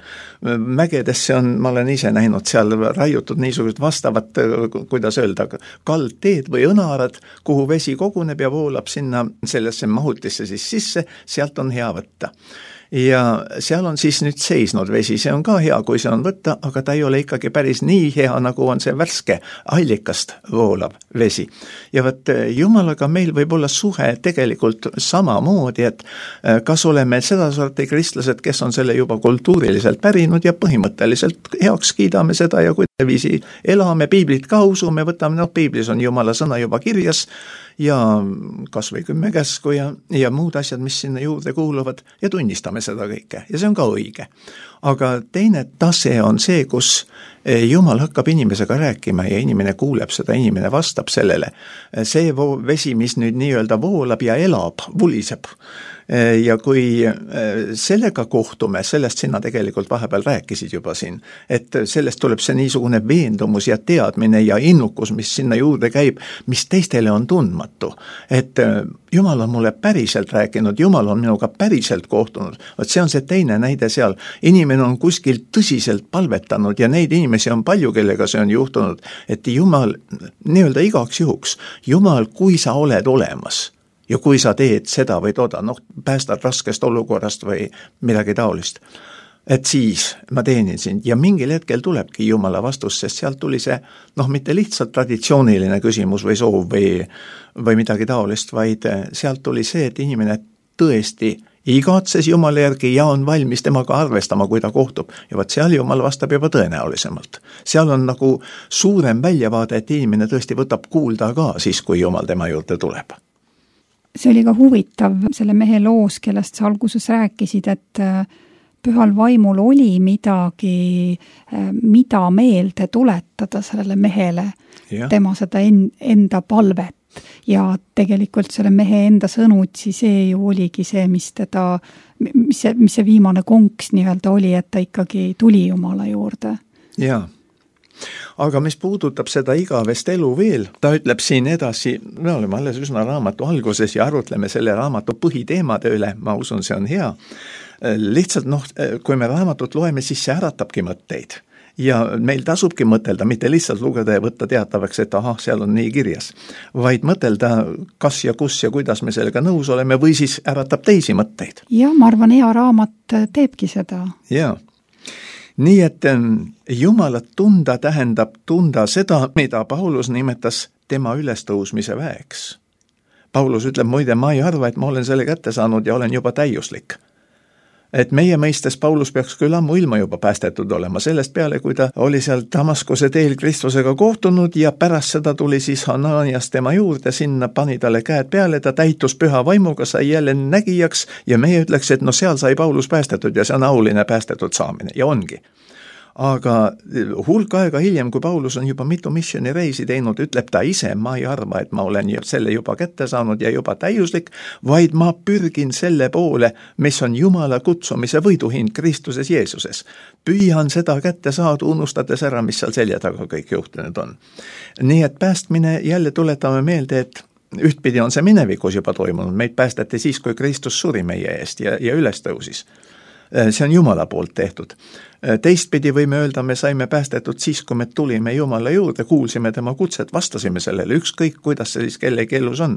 Mägedesse on, ma olen ise näinud seal raiutud niisugused vastavad, kuidas öelda, kaldteed või õnarad, kuhu vesi koguneb ja voolab sinna sellesse mahutisse siis sisse, sealt on hea võtta. Ja seal on siis nüüd seisnud vesi, see on ka hea, kui see on võtta, aga ta ei ole ikkagi päris nii hea, nagu on see värske allikast voolav vesi. Ja võt Jumalaga meil võib olla suhe tegelikult samamoodi, et kas oleme seda sorti kristlased, kes on selle juba kultuuriliselt pärinud ja põhimõtteliselt heaks kiidame seda ja kuidaviisi elame, piiblit ka usume, võtame, piiblis on Jumala sõna juba kirjas, ja kas või 10 käsku ja muud asjad, mis sinna juurde kuuluvad ja tunnistame seda kõike ja see on ka õige. Aga teine tase on see, kus Jumal hakkab inimesega rääkima ja inimene kuuleb seda, inimene vastab sellele. See vesi, mis nüüd nii-öelda voolab ja elab, vuliseb. Ja kui sellega kohtume, sellest sina tegelikult vahepeal rääkisid juba siin, et sellest tuleb see niisugune veendumus ja teadmine ja innukus, mis sinna juurde käib, mis teistele on tundmatu. Et Jumal on mulle päriselt rääkinud, Jumal on minuga päriselt kohtunud. See on see teine näide seal. Inimene on kuskil tõsiselt palvetanud ja neid inimesi on palju, kellega see on juhtunud, et Jumal, nii-öelda igaks juhuks, Jumal, kui sa oled olemas, ja kui sa teed seda või toda, päästad raskest olukorrast või midagi taolist, et siis ma teenin sind. Ja mingil hetkel tulebki Jumala vastus, sest sealt tuli see, mitte lihtsalt traditsiooniline küsimus või soov või midagi taolist, vaid sealt tuli see, et inimene tõesti igatses Jumala järgi ja on valmis temaga arvestama, kui ta kohtub. Ja vaat seal Jumal vastab juba tõenäolisemalt. Seal on nagu suurem väljavaade, et inimene tõesti võtab kuulda ka siis, kui Jumal tema juurde tuleb. see oli ka huvitav selle mehe loos, kellest sa alguses rääkisid, et pühal vaimul oli midagi, mida meelde tuletada sellele mehele, tema seda enda palvet. Ja tegelikult selle mehe enda sõnutsi, see ju oligi see, mis see viimane konks nii-öelda oli, et ta ikkagi tuli Jumala juurde. Jaa. Aga mis puudutab seda igavest elu veel, ta ütleb siin edasi, me oleme alles üsna raamatu alguses ja arutleme selle raamatu põhiteemade üle, ma usun, see on hea. Lihtsalt kui me raamatut loeme, siis see äratabki mõtteid. Ja meil tasubki mõtelda, mitte lihtsalt lugeda ja võtta teatavaks, et seal on nii kirjas, vaid mõtelda, kas ja kus ja kuidas me sellega nõus oleme või siis äratab teisi mõtteid. Ja ma arvan, hea raamat teebki seda. Jaa. Nii et Jumalat tunda tähendab tunda seda, mida Paulus nimetas tema ülestõusmise väeks. Paulus ütleb, muide, ma ei arva, et ma olen selle kätte saanud ja olen juba täiuslik. Et meie mõistes Paulus peaks küll ammu ilma juba päästetud olema, sellest peale, kui ta oli seal Damaskuse teel Kristusega kohtunud ja pärast seda tuli siis Hananias tema juurde, sinna pani talle käed peale, ta täitus püha vaimuga, sai jälle nägijaks ja meie ütleks, et seal sai Paulus päästetud ja see on auline päästetud saamine ja ongi. Aga hulk aega hiljem, kui Paulus on juba mitu missioonireisi teinud, ütleb ta ise, ma ei arva, et ma olen selle juba kätte saanud ja juba täiuslik, vaid ma pürgin selle poole, mis on Jumala kutsumise võiduhind Kristuses Jeesuses. Püüan seda kätte saada, unustades ära, mis seal selja taga kõik juhtunud on. Nii et päästmine jälle tuletame meelde, et ühtpidi on see minevikus juba toimunud, meid päästati siis, kui Kristus suri meie eest ja üles tõusis. See on Jumala poolt tehtud. Teistpidi võime öelda, me saime päästetud siis, kui me tulime Jumala juurde, kuulsime tema kutset, vastasime sellele, ükskõik kuidas see siis kellegi elus on.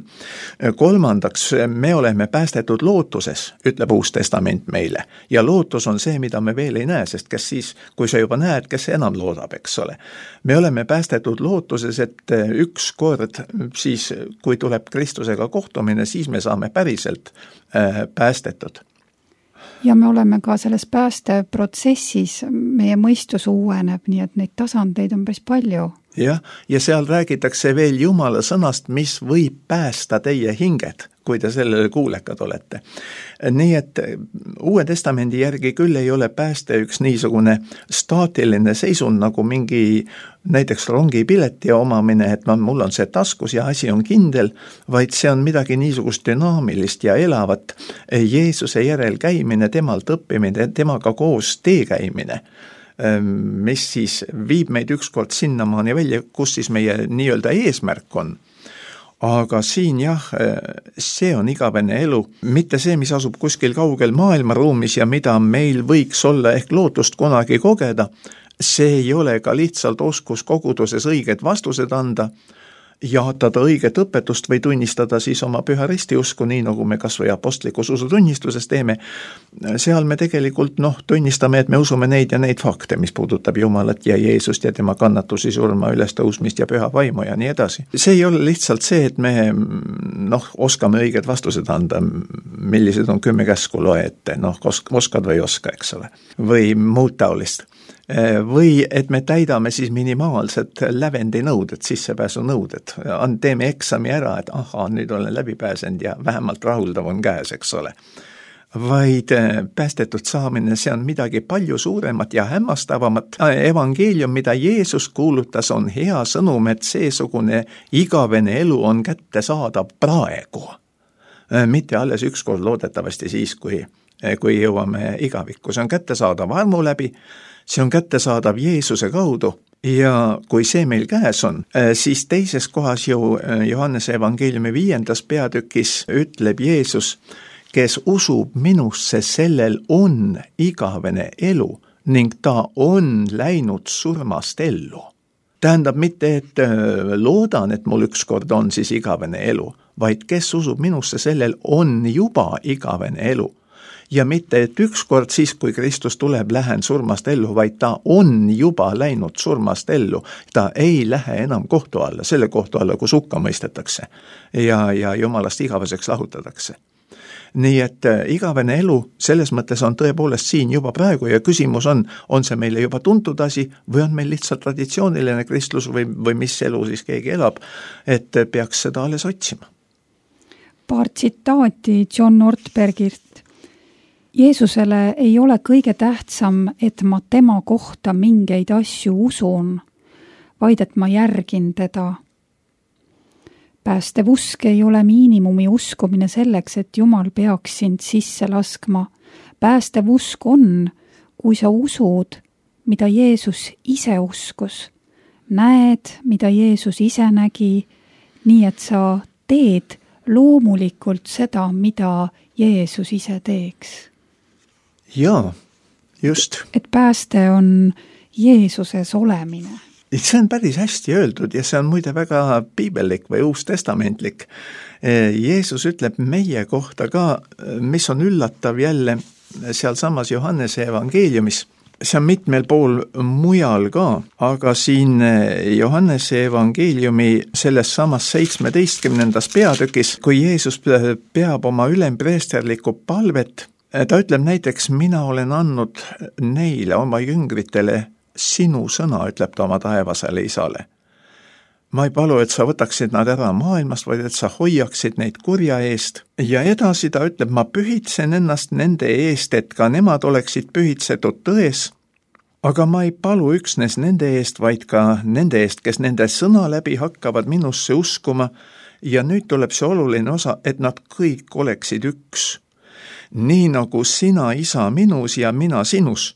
Kolmandaks, me oleme päästetud lootuses, ütleb Uus Testament meile. Ja lootus on see, mida me veel ei näe, sest kes siis, kui sa juba näed, kes enam loodab, eks ole. Me oleme päästetud lootuses, et üks kord siis, kui tuleb Kristusega kohtumine, siis me saame päriselt päästetud. Ja me oleme ka selles päästeprotsessis, meie mõistus uueneb, nii et neid tasandeid on päris palju. Ja seal räägitakse veel Jumala sõnast, mis võib päästa teie hinged, kui te sellele kuulekad olete. Nii et Uue Testamendi järgi küll ei ole pääste üks niisugune staatiline seisund nagu mingi näiteks rongipileti omamine, et mul on see taskus ja asi on kindel, vaid see on midagi niisugust dünaamilist ja elavat Jeesuse järel käimine, temalt õppimine, temaga koos tee käimine, mis siis viib meid ükskord sinnamaani välja, kus siis meie nii-öelda eesmärk on. Aga siin see on igavene elu, mitte see, mis asub kuskil kaugel maailmaruumis ja mida meil võiks olla ehk lootust kunagi kogeda, see ei ole ka lihtsalt oskus koguduses õiged vastused anda, jaatada õiget õpetust või tunnistada siis oma püha ristiusku, nii nagu me kas või apostlikus usutunnistuses teeme. Seal me tegelikult tunnistame, et me usume neid ja neid fakte, mis puudutab Jumalat ja Jeesust ja tema kannatusi, surma, ülestõusmist ja püha vaimu ja nii edasi. See ei ole lihtsalt see, et me oskame õiged vastused anda, millised on 10 käsku loe ette, oskad või oska, eks ole, või muud taolist. Või et me täidame siis minimaalsed lävendinõuded, sissepääsunõuded, teeme eksami ära, et nüüd olen läbi pääsenud ja vähemalt rahuldav on käes, eks ole. Vaid päästetud saamine, see on midagi palju suuremat ja hämmastavamat. Evangeelium, mida Jeesus kuulutas, on hea sõnum, et seesugune igavene elu on kättesaadav praegu. Mitte alles ükskord loodetavasti siis, kui jõuame igavikku. See on kättesaadav armu läbi, see on kättesaadav Jeesuse kaudu ja kui see meil käes on, siis teises kohas ju Johannese evangeeliumi 5. peatükis ütleb Jeesus, kes usub minusse, sellel on igavene elu ning ta on läinud surmast ellu. Tähendab mitte, et loodan, et mul ükskord on siis igavene elu, vaid kes usub minusse, sellel on juba igavene elu. Ja mitte, et ükskord siis, kui Kristus tuleb, lähen surmast ellu, vaid ta on juba läinud surmast ellu. Ta ei lähe enam kohtu alla, selle kohtu alla, kus hukka mõistetakse ja Jumalast igaveseks lahutatakse. Nii et igavene elu selles mõttes on tõepoolest siin juba praegu ja küsimus on see meile juba tuntud asi või on meil lihtsalt traditsiooniline kristlus või mis elu siis keegi elab, et peaks seda alles otsima. paar tsitaati John Ortbergilt. Jeesusele ei ole kõige tähtsam, et ma tema kohta mingeid asju usun, vaid et ma järgin teda. Päästev usk ei ole miinimumi uskumine selleks, et Jumal peaks sind sisse laskma. Päästev usk on, kui sa usud, mida Jeesus ise uskus. Näed, mida Jeesus ise nägi, nii et sa teed loomulikult seda, mida Jeesus ise teeks. Jaa, just. Et pääste on Jeesuses olemine. See on päris hästi öeldud ja see on muide väga piibellik või uustestamentlik. Jeesus ütleb meie kohta ka, mis on üllatav jälle seal samas Johannese evangeeliumis. See on mitmel pool mujal ka, aga siin Johannese evangeeliumi selles samas 17. peatükis, kui Jeesus peab oma ülempreesterlikku palvet, ta ütleb näiteks, mina olen andnud neile oma jüngritele sinu sõna, ütleb ta oma taevasele isale. Ma ei palu, et sa võtaksid nad ära maailmast, vaid et sa hoiaksid neid kurja eest. Ja edasi ta ütleb, ma pühitsen ennast nende eest, et ka nemad oleksid pühitsetud tões, aga ma ei palu üksnes nende eest, vaid ka nende eest, kes nende sõna läbi hakkavad minusse uskuma. Ja nüüd tuleb see oluline osa, et nad kõik oleksid üks. Nii nagu sina, isa, minus ja mina sinus,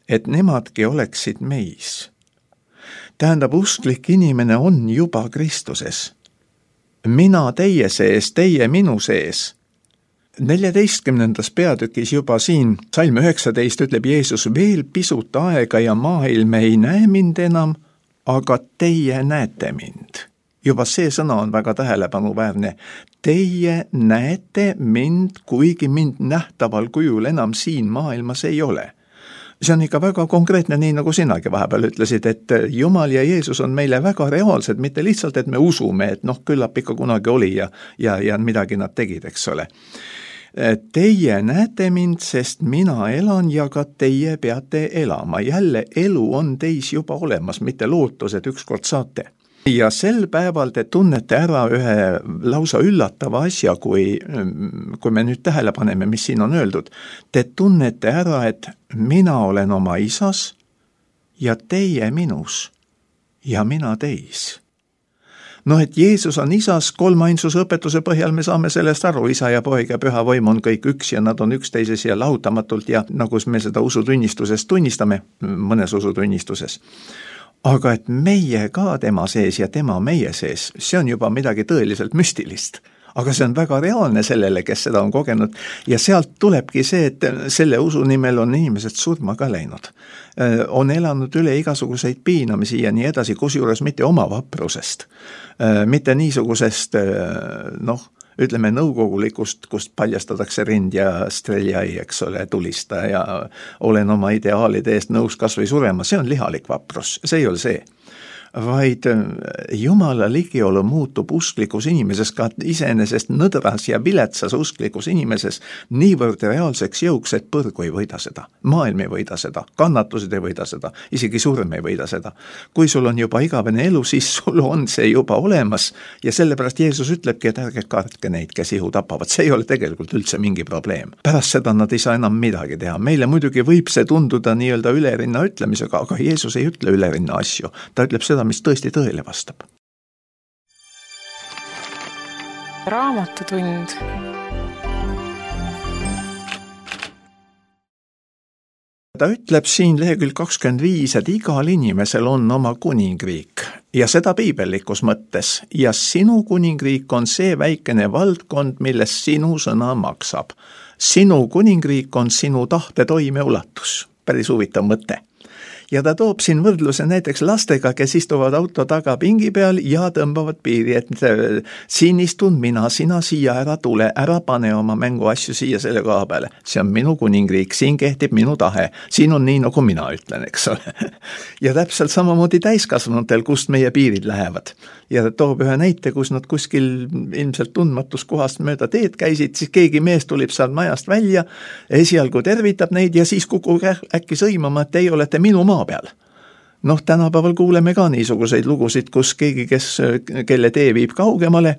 et nemadki oleksid meis. Tähendab, usklik inimene on juba Kristuses. Mina teie sees, teie minu sees. 14. peatükis juba siin, salm 19 ütleb Jeesus, veel pisut aega ja maailm ei näe mind enam, aga teie näete mind. Juba see sõna on väga tähelepanuväärne. Teie näete mind, kuigi mind nähtaval kujul enam siin maailmas ei ole. See on ikka väga konkreetne, nii nagu sinagi vahepeal ütlesid, et Jumal ja Jeesus on meile väga reaalsed, mitte lihtsalt, et me usume, et küllap ikka kunagi oli ja midagi nad tegid, eks ole. Teie näete mind, sest mina elan ja ka teie peate elama. Jälle elu on teis juba olemas, mitte lootus, et ükskord saate. Ja sel päeval te tunnete ära ühe lausa üllatava asja, kui me nüüd tähele paneme, mis siin on öeldud. Te tunnete ära, et mina olen oma isas ja teie minus ja mina teis. Et Jeesus on isas, kolmainsuse õpetuse põhjal me saame sellest aru, isa ja poeg ja püha vaim on kõik üks ja nad on üksteises ja lahutamatult ja nagu me seda usutunnistuses tunnistame, mõnes usutunnistuses. Aga et meie ka tema sees ja tema meie sees, see on juba midagi tõeliselt müstilist. Aga see on väga reaalne sellele, kes seda on kogenud ja sealt tulebki see, et selle usu nimel on inimesed surma ka läinud. On elanud üle igasuguseid piinamisi ja nii edasi, kusjuures mitte oma vaprusest, mitte niisugusest, ütleme nõukogulikust, kust paljastatakse rind ja streljai, eks ole, tulista ja olen oma ideaalide eest nõus kas või surema, see on lihalik vaprus, see ei ole see. Vaid Jumala ligiolu muutub usklikus inimeses, ka iseenesest nõdras ja viletsas usklikus inimeses niivõrd reaalseks jõuks, et põrgu ei võida seda, maailm ei võida seda, kannatused ei võida seda, isegi surm ei võida seda. Kui sul on juba igavene elu, siis sul on see juba olemas ja sellepärast Jeesus ütlebki, et ärge kartke neid, kes ihu tapavad, see ei ole tegelikult üldse mingi probleem. Pärast seda nad ei saa enam midagi teha. Meile muidugi võib see tunduda nii-öelda ülerinna ütlemisega, aga Jeesus ei ütle ülerinna asju, ta ütleb seda, mis tõesti tõele vastab. Raamatutund. Ta ütleb siin lehekülg 25, et igal inimesel on oma kuningriik ja seda piibellikus mõttes ja sinu kuningriik on see väikene valdkond, milles sinu sõna maksab. Sinu kuningriik on sinu tahte toimeulatus. Päris huvitav mõte. Ja ta toob siin võrdluse näiteks lastega, kes istuvad auto taga pingi peal ja tõmbavad piiri, et siin istun mina, sina siia ära tule, ära pane oma mänguasju siia selle koha peale. See on minu kuningriik, siin kehtib minu tahe, siin on nii, nagu mina ütlen, eks ole. Ja täpselt samamoodi täiskasvanutel, kust meie piirid lähevad. Ja ta toob ühe näite, kus nad kuskil ilmselt tundmatus kohast mööda teed käisid, siis keegi mees tulib seal majast välja, esialgu tervitab neid ja siis kukub äkki sõimama, et teie olete minu maa peal. Tänapäeval kuuleme ka niisuguseid lugusid, kus keegi, kelle tee viib kaugemale,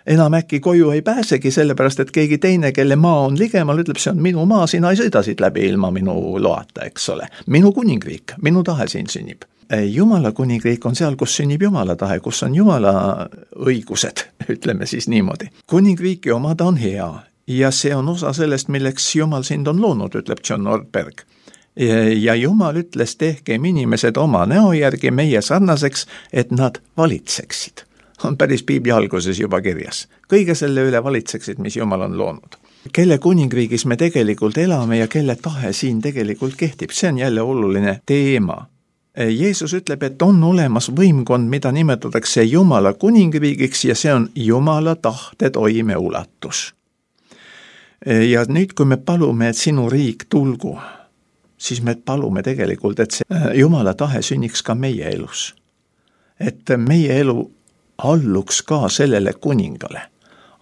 enam äkki koju ei pääsegi, sellepärast et keegi teine, kelle maa on ligemal, ütleb, see on minu maa, sina ei sõida siit läbi ilma minu loata, eks ole. Minu kuningriik, minu tahe siin sünnib. Jumala kuningriik on seal, kus sünnib Jumala tahe, kus on Jumala õigused, ütleme siis niimoodi. Kuningriiki omada on hea ja see on osa sellest, milleks Jumal sind on loonud, ütleb John Ortberg. Ja Jumal ütles, tehkem inimesed oma näo järgi meie sarnaseks, et nad valitseksid. On päris piibli alguses juba kirjas. Kõige selle üle valitseksid, mis Jumal on loonud. Kelle kuningriigis me tegelikult elame ja kelle tahe siin tegelikult kehtib, see on jälle oluline teema. Jeesus ütleb, et on olemas võimkond, mida nimetatakse Jumala kuningriigiks ja see on Jumala tahte toime ulatus. Ja nüüd, kui me palume, et sinu riik tulgu, siis me palume tegelikult, et see Jumala tahe sünniks ka meie elus. Et meie elu alluks ka sellele kuningale.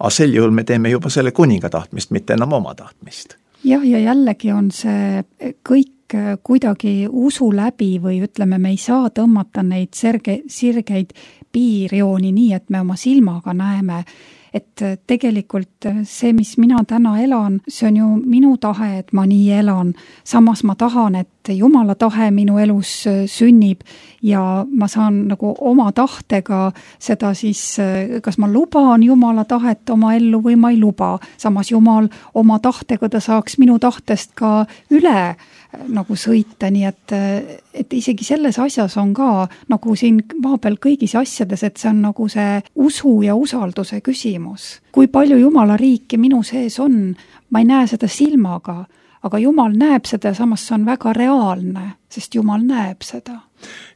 Aga sel juhul me teeme juba selle kuninga tahtmist, mitte enam oma tahtmist. Jah, ja jällegi on see kõik kuidagi usu läbi või ütleme, me ei saa tõmmata neid sirgeid piirjooni nii, et me oma silmaga näeme, et tegelikult see, mis mina täna elan, see on ju minu tahe, et ma nii elan. Samas ma tahan, et Jumala tahe minu elus sünnib ja ma saan nagu oma tahtega seda siis, kas ma luban Jumala tahet oma ellu või ma ei luba. Samas Jumal oma tahtega ta saaks minu tahtest ka üle nagu sõita, nii et isegi selles asjas on ka nagu siin maa peal kõigis asjades, et see on nagu see usu ja usalduse küsimus. Kui palju Jumala riiki minu sees on, ma ei näe seda silmaga, aga Jumal näeb seda ja samas see on väga reaalne, sest Jumal näeb seda.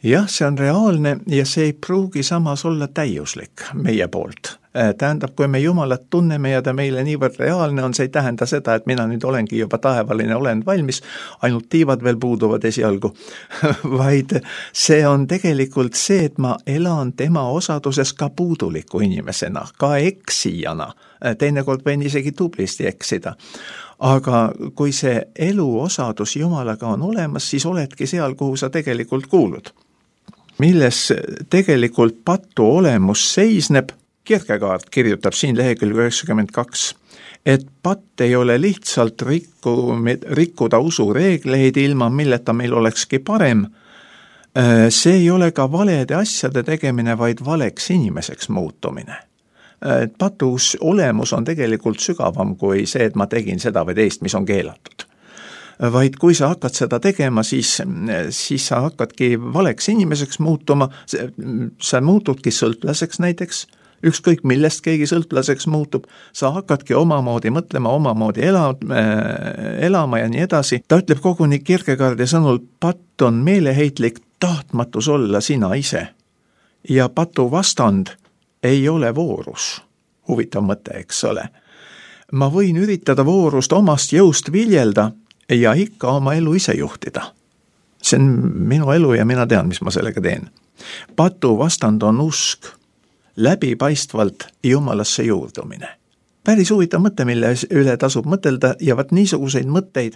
Jah, see on reaalne ja see ei pruugi samas olla täiuslik meie poolt. Tähendab, kui me Jumalat tunneme ja ta meile niivõrd reaalne on, see ei tähenda seda, et mina nüüd olengi juba taevaline, olen valmis, ainult tiivad veel puuduvad esialgu, vaid see on tegelikult see, et ma elan tema osaduses ka puuduliku inimesena, ka eksijana, teinekord võin isegi tublisti eksida. Aga kui see elu osadus Jumalaga on olemas, siis oledki seal, kuhu sa tegelikult kuulud. Milles tegelikult patu olemus seisneb, Kierkegaard kirjutab siin lehekülg 92, et patt ei ole lihtsalt rikkuda usureegleid ilma milleta meil olekski parem. See ei ole ka valede asjade tegemine, vaid valeks inimeseks muutumine. Patus olemus on tegelikult sügavam kui see, et ma tegin seda või teist, mis on keelatud. Vaid kui sa hakkad seda tegema, siis sa hakkadki valeks inimeseks muutuma, sa muutudki sõltlaseks näiteks, ükskõik millest keegi sõltlaseks muutub, sa hakkadki omamoodi mõtlema, omamoodi elama ja nii edasi. Ta ütleb koguni Kierkegaardi sõnul, patt on meeleheitlik tahtmatus olla sina ise ja patu vastand ei ole voorus. Huvitav mõte, eks ole. Ma võin üritada voorust omast jõust viljelda ja ikka oma elu ise juhtida. See on minu elu ja mina tean, mis ma sellega teen. Patu vastand on usk, läbipaistvalt Jumalasse juurdumine. Päris huvitav mõte, mille üle tasub mõtelda ja vaat niisuguseid mõtteid,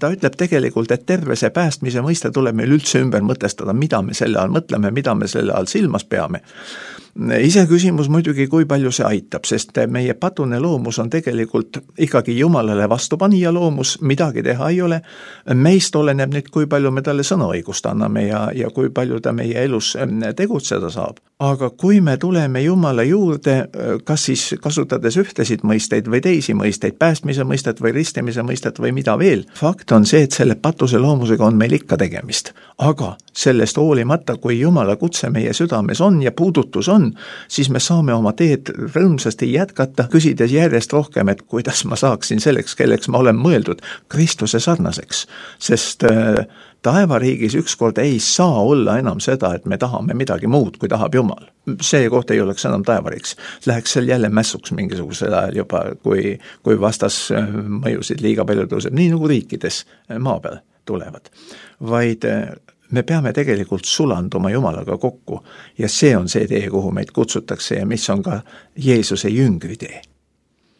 ta ütleb tegelikult, et terve see päästmise mõiste tuleb meil üldse ümber mõtestada, mida me selle all mõtleme, mida me selle all silmas peame. Ise küsimus muidugi, kui palju see aitab, sest meie patune loomus on tegelikult ikkagi Jumalale vastupanija loomus, midagi teha ei ole. Meist oleneb nüüd, kui palju me talle sõnaõigust anname ja kui palju ta meie elus tegutseda saab. Aga kui me tuleme Jumala juurde, kas siis kasutades ühtesid mõisteid või teisi mõisteid, päästmise mõistet või ristimise mõistet või mida veel, fakt on see, et selle patuse loomusega on meil ikka tegemist. Aga sellest hoolimata, kui Jumala kutse meie südames on ja puudutus on, siis me saame oma teed rõõmsasti jätkata, küsides järjest rohkem, et kuidas ma saaksin selleks, kelleks ma olen mõeldud, Kristuse sarnaseks. Sest taevariigis ükskord ei saa olla enam seda, et me tahame midagi muud, kui tahab Jumal. See koht ei oleks enam taevariiks. Läheks seal jälle mässuks mingisugusel ajal juba, kui vastas mõjusid liiga palju tõuseb, nii nagu riikides maa peal tulevad. Vaid me peame tegelikult sulanduma Jumalaga kokku ja see on see tee, kuhu meid kutsutakse ja mis on ka Jeesuse jüngri tee.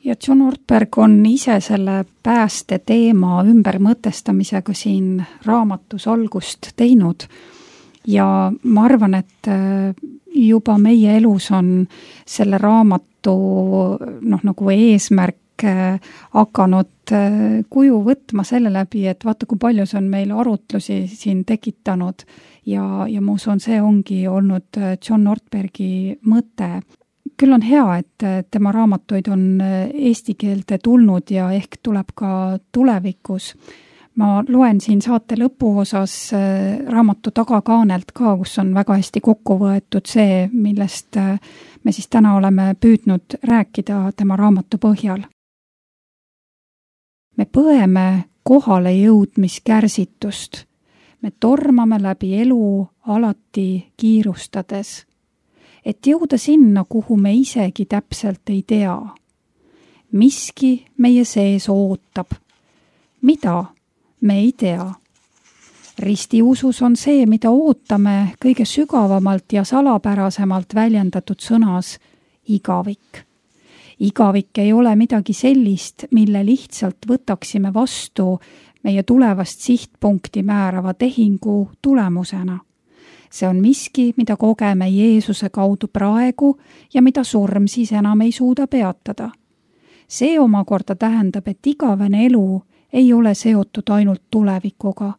Ja John Ortberg on ise selle pääste teema ümbermõtestamisega siin raamatus algust teinud ja ma arvan, et juba meie elus on selle raamatu nagu eesmärk hakanud kuju võtma selle läbi, et vaata, kui palju see on meil arutlusi siin tekitanud ja ma usun, see ongi olnud John Ortbergi mõte. Küll on hea, et tema raamatuid on eesti keelde tulnud ja ehk tuleb ka tulevikus. Ma loen siin saate lõpuosas raamatu tagakaanelt ka, kus on väga hästi kokku võetud see, millest me siis täna oleme püüdnud rääkida tema raamatu põhjal. Me põeme kohale jõudmiskärsitust. Me tormame läbi elu alati kiirustades, et jõuda sinna, kuhu me isegi täpselt ei tea. Miski meie sees ootab. Mida? Me ei tea. Ristiusus on see, mida ootame kõige sügavamalt ja salapärasemalt väljendatud sõnas igavik. Igavik ei ole midagi sellist, mille lihtsalt võtaksime vastu meie tulevast sihtpunkti määrava tehingu tulemusena. See on miski, mida kogeme Jeesuse kaudu praegu ja mida surm siis enam ei suuda peatada. See omakorda tähendab, et igavene elu ei ole seotud ainult tulevikuga.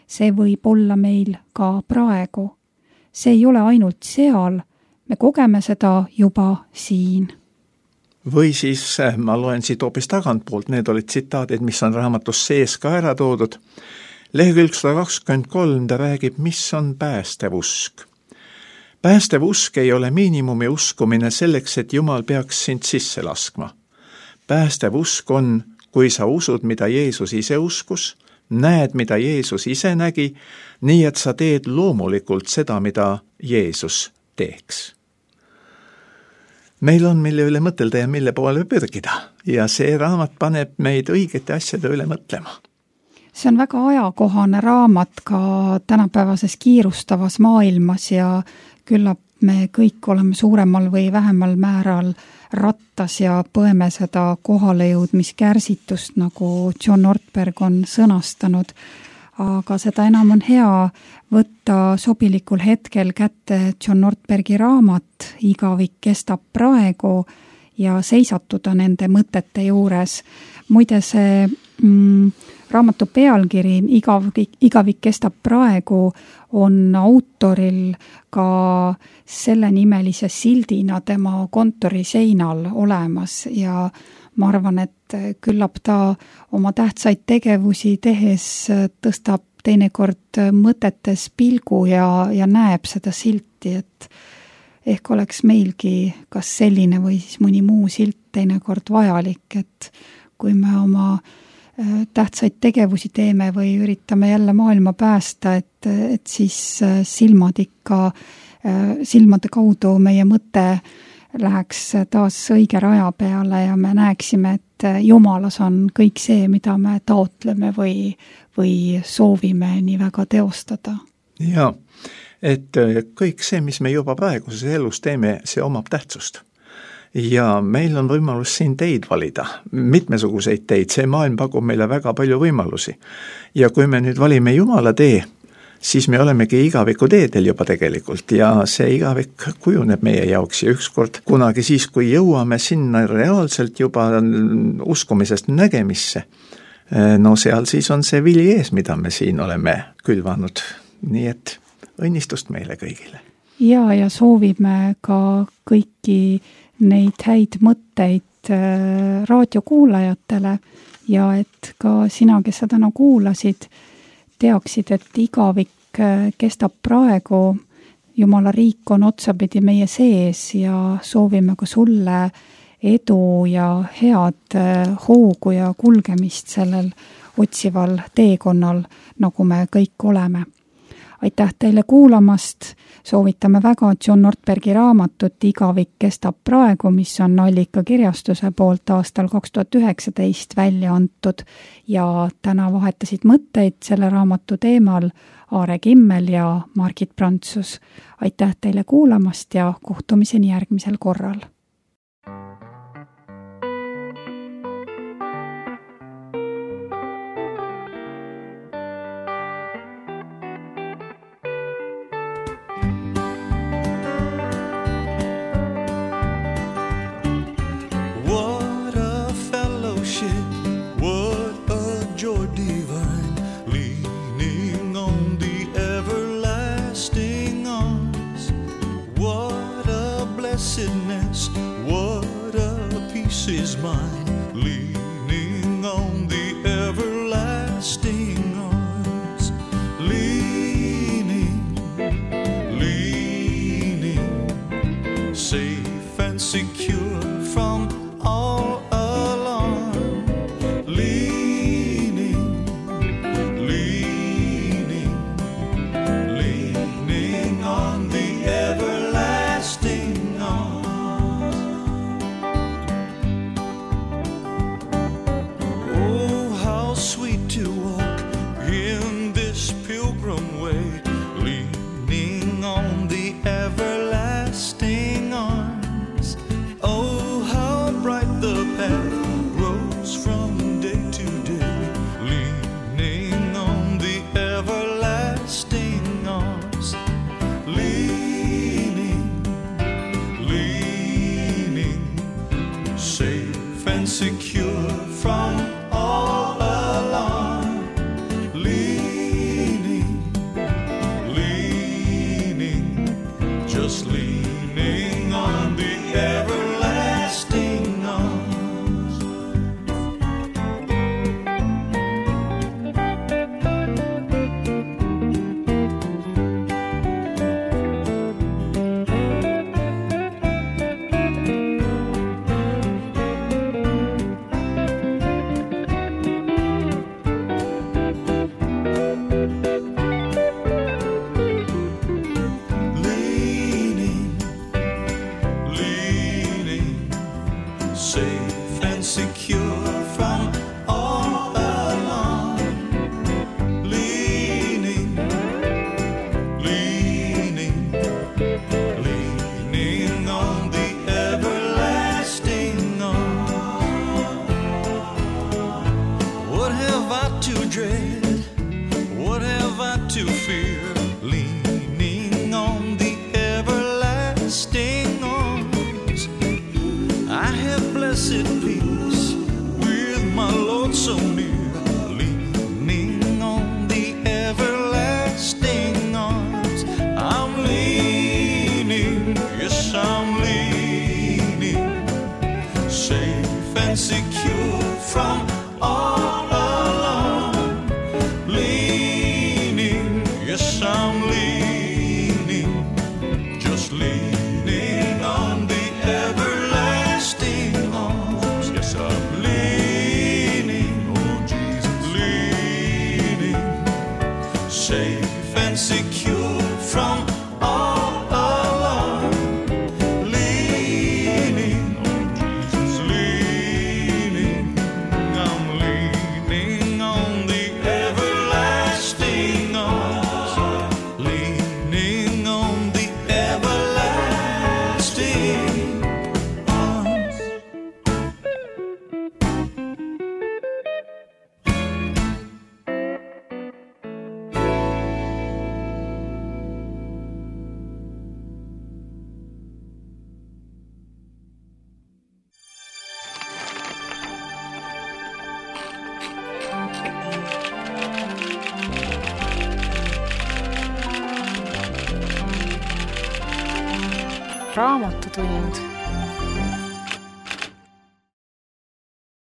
See võib olla meil ka praegu. See ei ole ainult seal, me kogeme seda juba siin. Või siis ma loen siit hoopis tagantpoolt, need olid tsitaadid, mis on raamatus sees ka ära toodud. Lehekülg 123 ta räägib, mis on päästev usk. Päästev usk ei ole miinimumi uskumine selleks, et Jumal peaks sind sisse laskma. Päästev usk on, kui sa usud, mida Jeesus ise uskus, näed, mida Jeesus ise nägi, nii et sa teed loomulikult seda, mida Jeesus teeks. Meil on, mille üle mõtelda ja mille poole pürgida ja see raamat paneb meid õigete asjade üle mõtlema. See on väga ajakohane raamat ka tänapäevases kiirustavas maailmas ja küllap me kõik oleme suuremal või vähemal määral rattas ja põeme seda kohalejõudmiskärsitust, nagu John Ortberg on sõnastanud. Aga seda enam on hea võtta sobilikul hetkel kätte John Ortbergi raamat Igavik kestab praegu ja seisatuda nende mõtete juures. Muide see raamatu pealkiri Igavik kestab praegu on autoril ka selle nimelise sildina tema kontori seinal olemas ja ma arvan, et küllap ta oma tähtsaid tegevusi tehes tõstab teinekord mõtetes pilgu ja näeb seda silti, et ehk oleks meilgi kas selline või siis mõni muu silt teinekord vajalik, et kui me oma tähtsaid tegevusi teeme või üritame jälle maailma päästa, et siis silmade kaudu meie mõte läheks taas õige raja peale ja me näeksime, et Jumalas on kõik see, mida me taotleme või soovime nii väga teostada. Jaa, et kõik see, mis me juba praeguses elus teeme, see omab tähtsust. Ja meil on võimalus siin teid valida, mitmesuguseid teid, see maailm pakub meile väga palju võimalusi. Ja kui me nüüd valime Jumala tee, siis me olemegi igaviku teedel juba tegelikult ja see igavik kujuneb meie jaoks ja ükskord kunagi siis, kui jõuame sinna reaalselt juba uskumisest nägemisse, no seal siis on see vili ees, mida me siin oleme külvanud, nii et õnnistust meile kõigile. Ja soovime ka kõiki neid häid mõtteid raadiokuulajatele ja et ka sina, kes sa täna kuulasid, teaksid, et igavik kestab praegu, Jumala riik on otsapidi meie sees ja soovime ka sulle edu ja head hoogu ja kulgemist sellel otsival teekonnal, nagu me kõik oleme. Aitäh teile kuulamast, soovitame väga John Ortbergi raamatut Igavik kestab praegu, mis on Allika kirjastuse poolt aastal 2019 välja antud ja täna vahetasid mõtteid selle raamatu teemal Aare Kimmel ja Margit Prantsus. Aitäh teile kuulamast ja kohtumiseni järgmisel korral. joy divine, leaning on the everlasting arms. What a blessedness, what a peace is mine, leaning on the everlasting arms. Leaning, safe and secure from all alarm. Leaning on the everlasting arms. Oh, how sweet to walk in this pilgrim way, leaning on the everlasting arms. Oh, how bright the path grows from day to day, leaning on the everlasting arms. Leaning, safe and secure from all alarm. Just leaning on the everlasting arms. Safe and secure from all alarm. Leaning on the everlasting arms. What have I to dread? What have I to fear? Leaning on the everlasting arms. I have blessed peace with my Lord so near, leaning on the everlasting arms. I'm leaning, yes I'm leaning, safe and secure from all alarm. Leaning, yes I'm leaning, just leaning on the everlasting arms. Yes, I'm leaning, oh Jesus, leaning, safe and secure from all alarm. Leaning, oh Jesus, leaning, I'm leaning on the everlasting arms. Leaning on the everlasting arms. Raamatutund.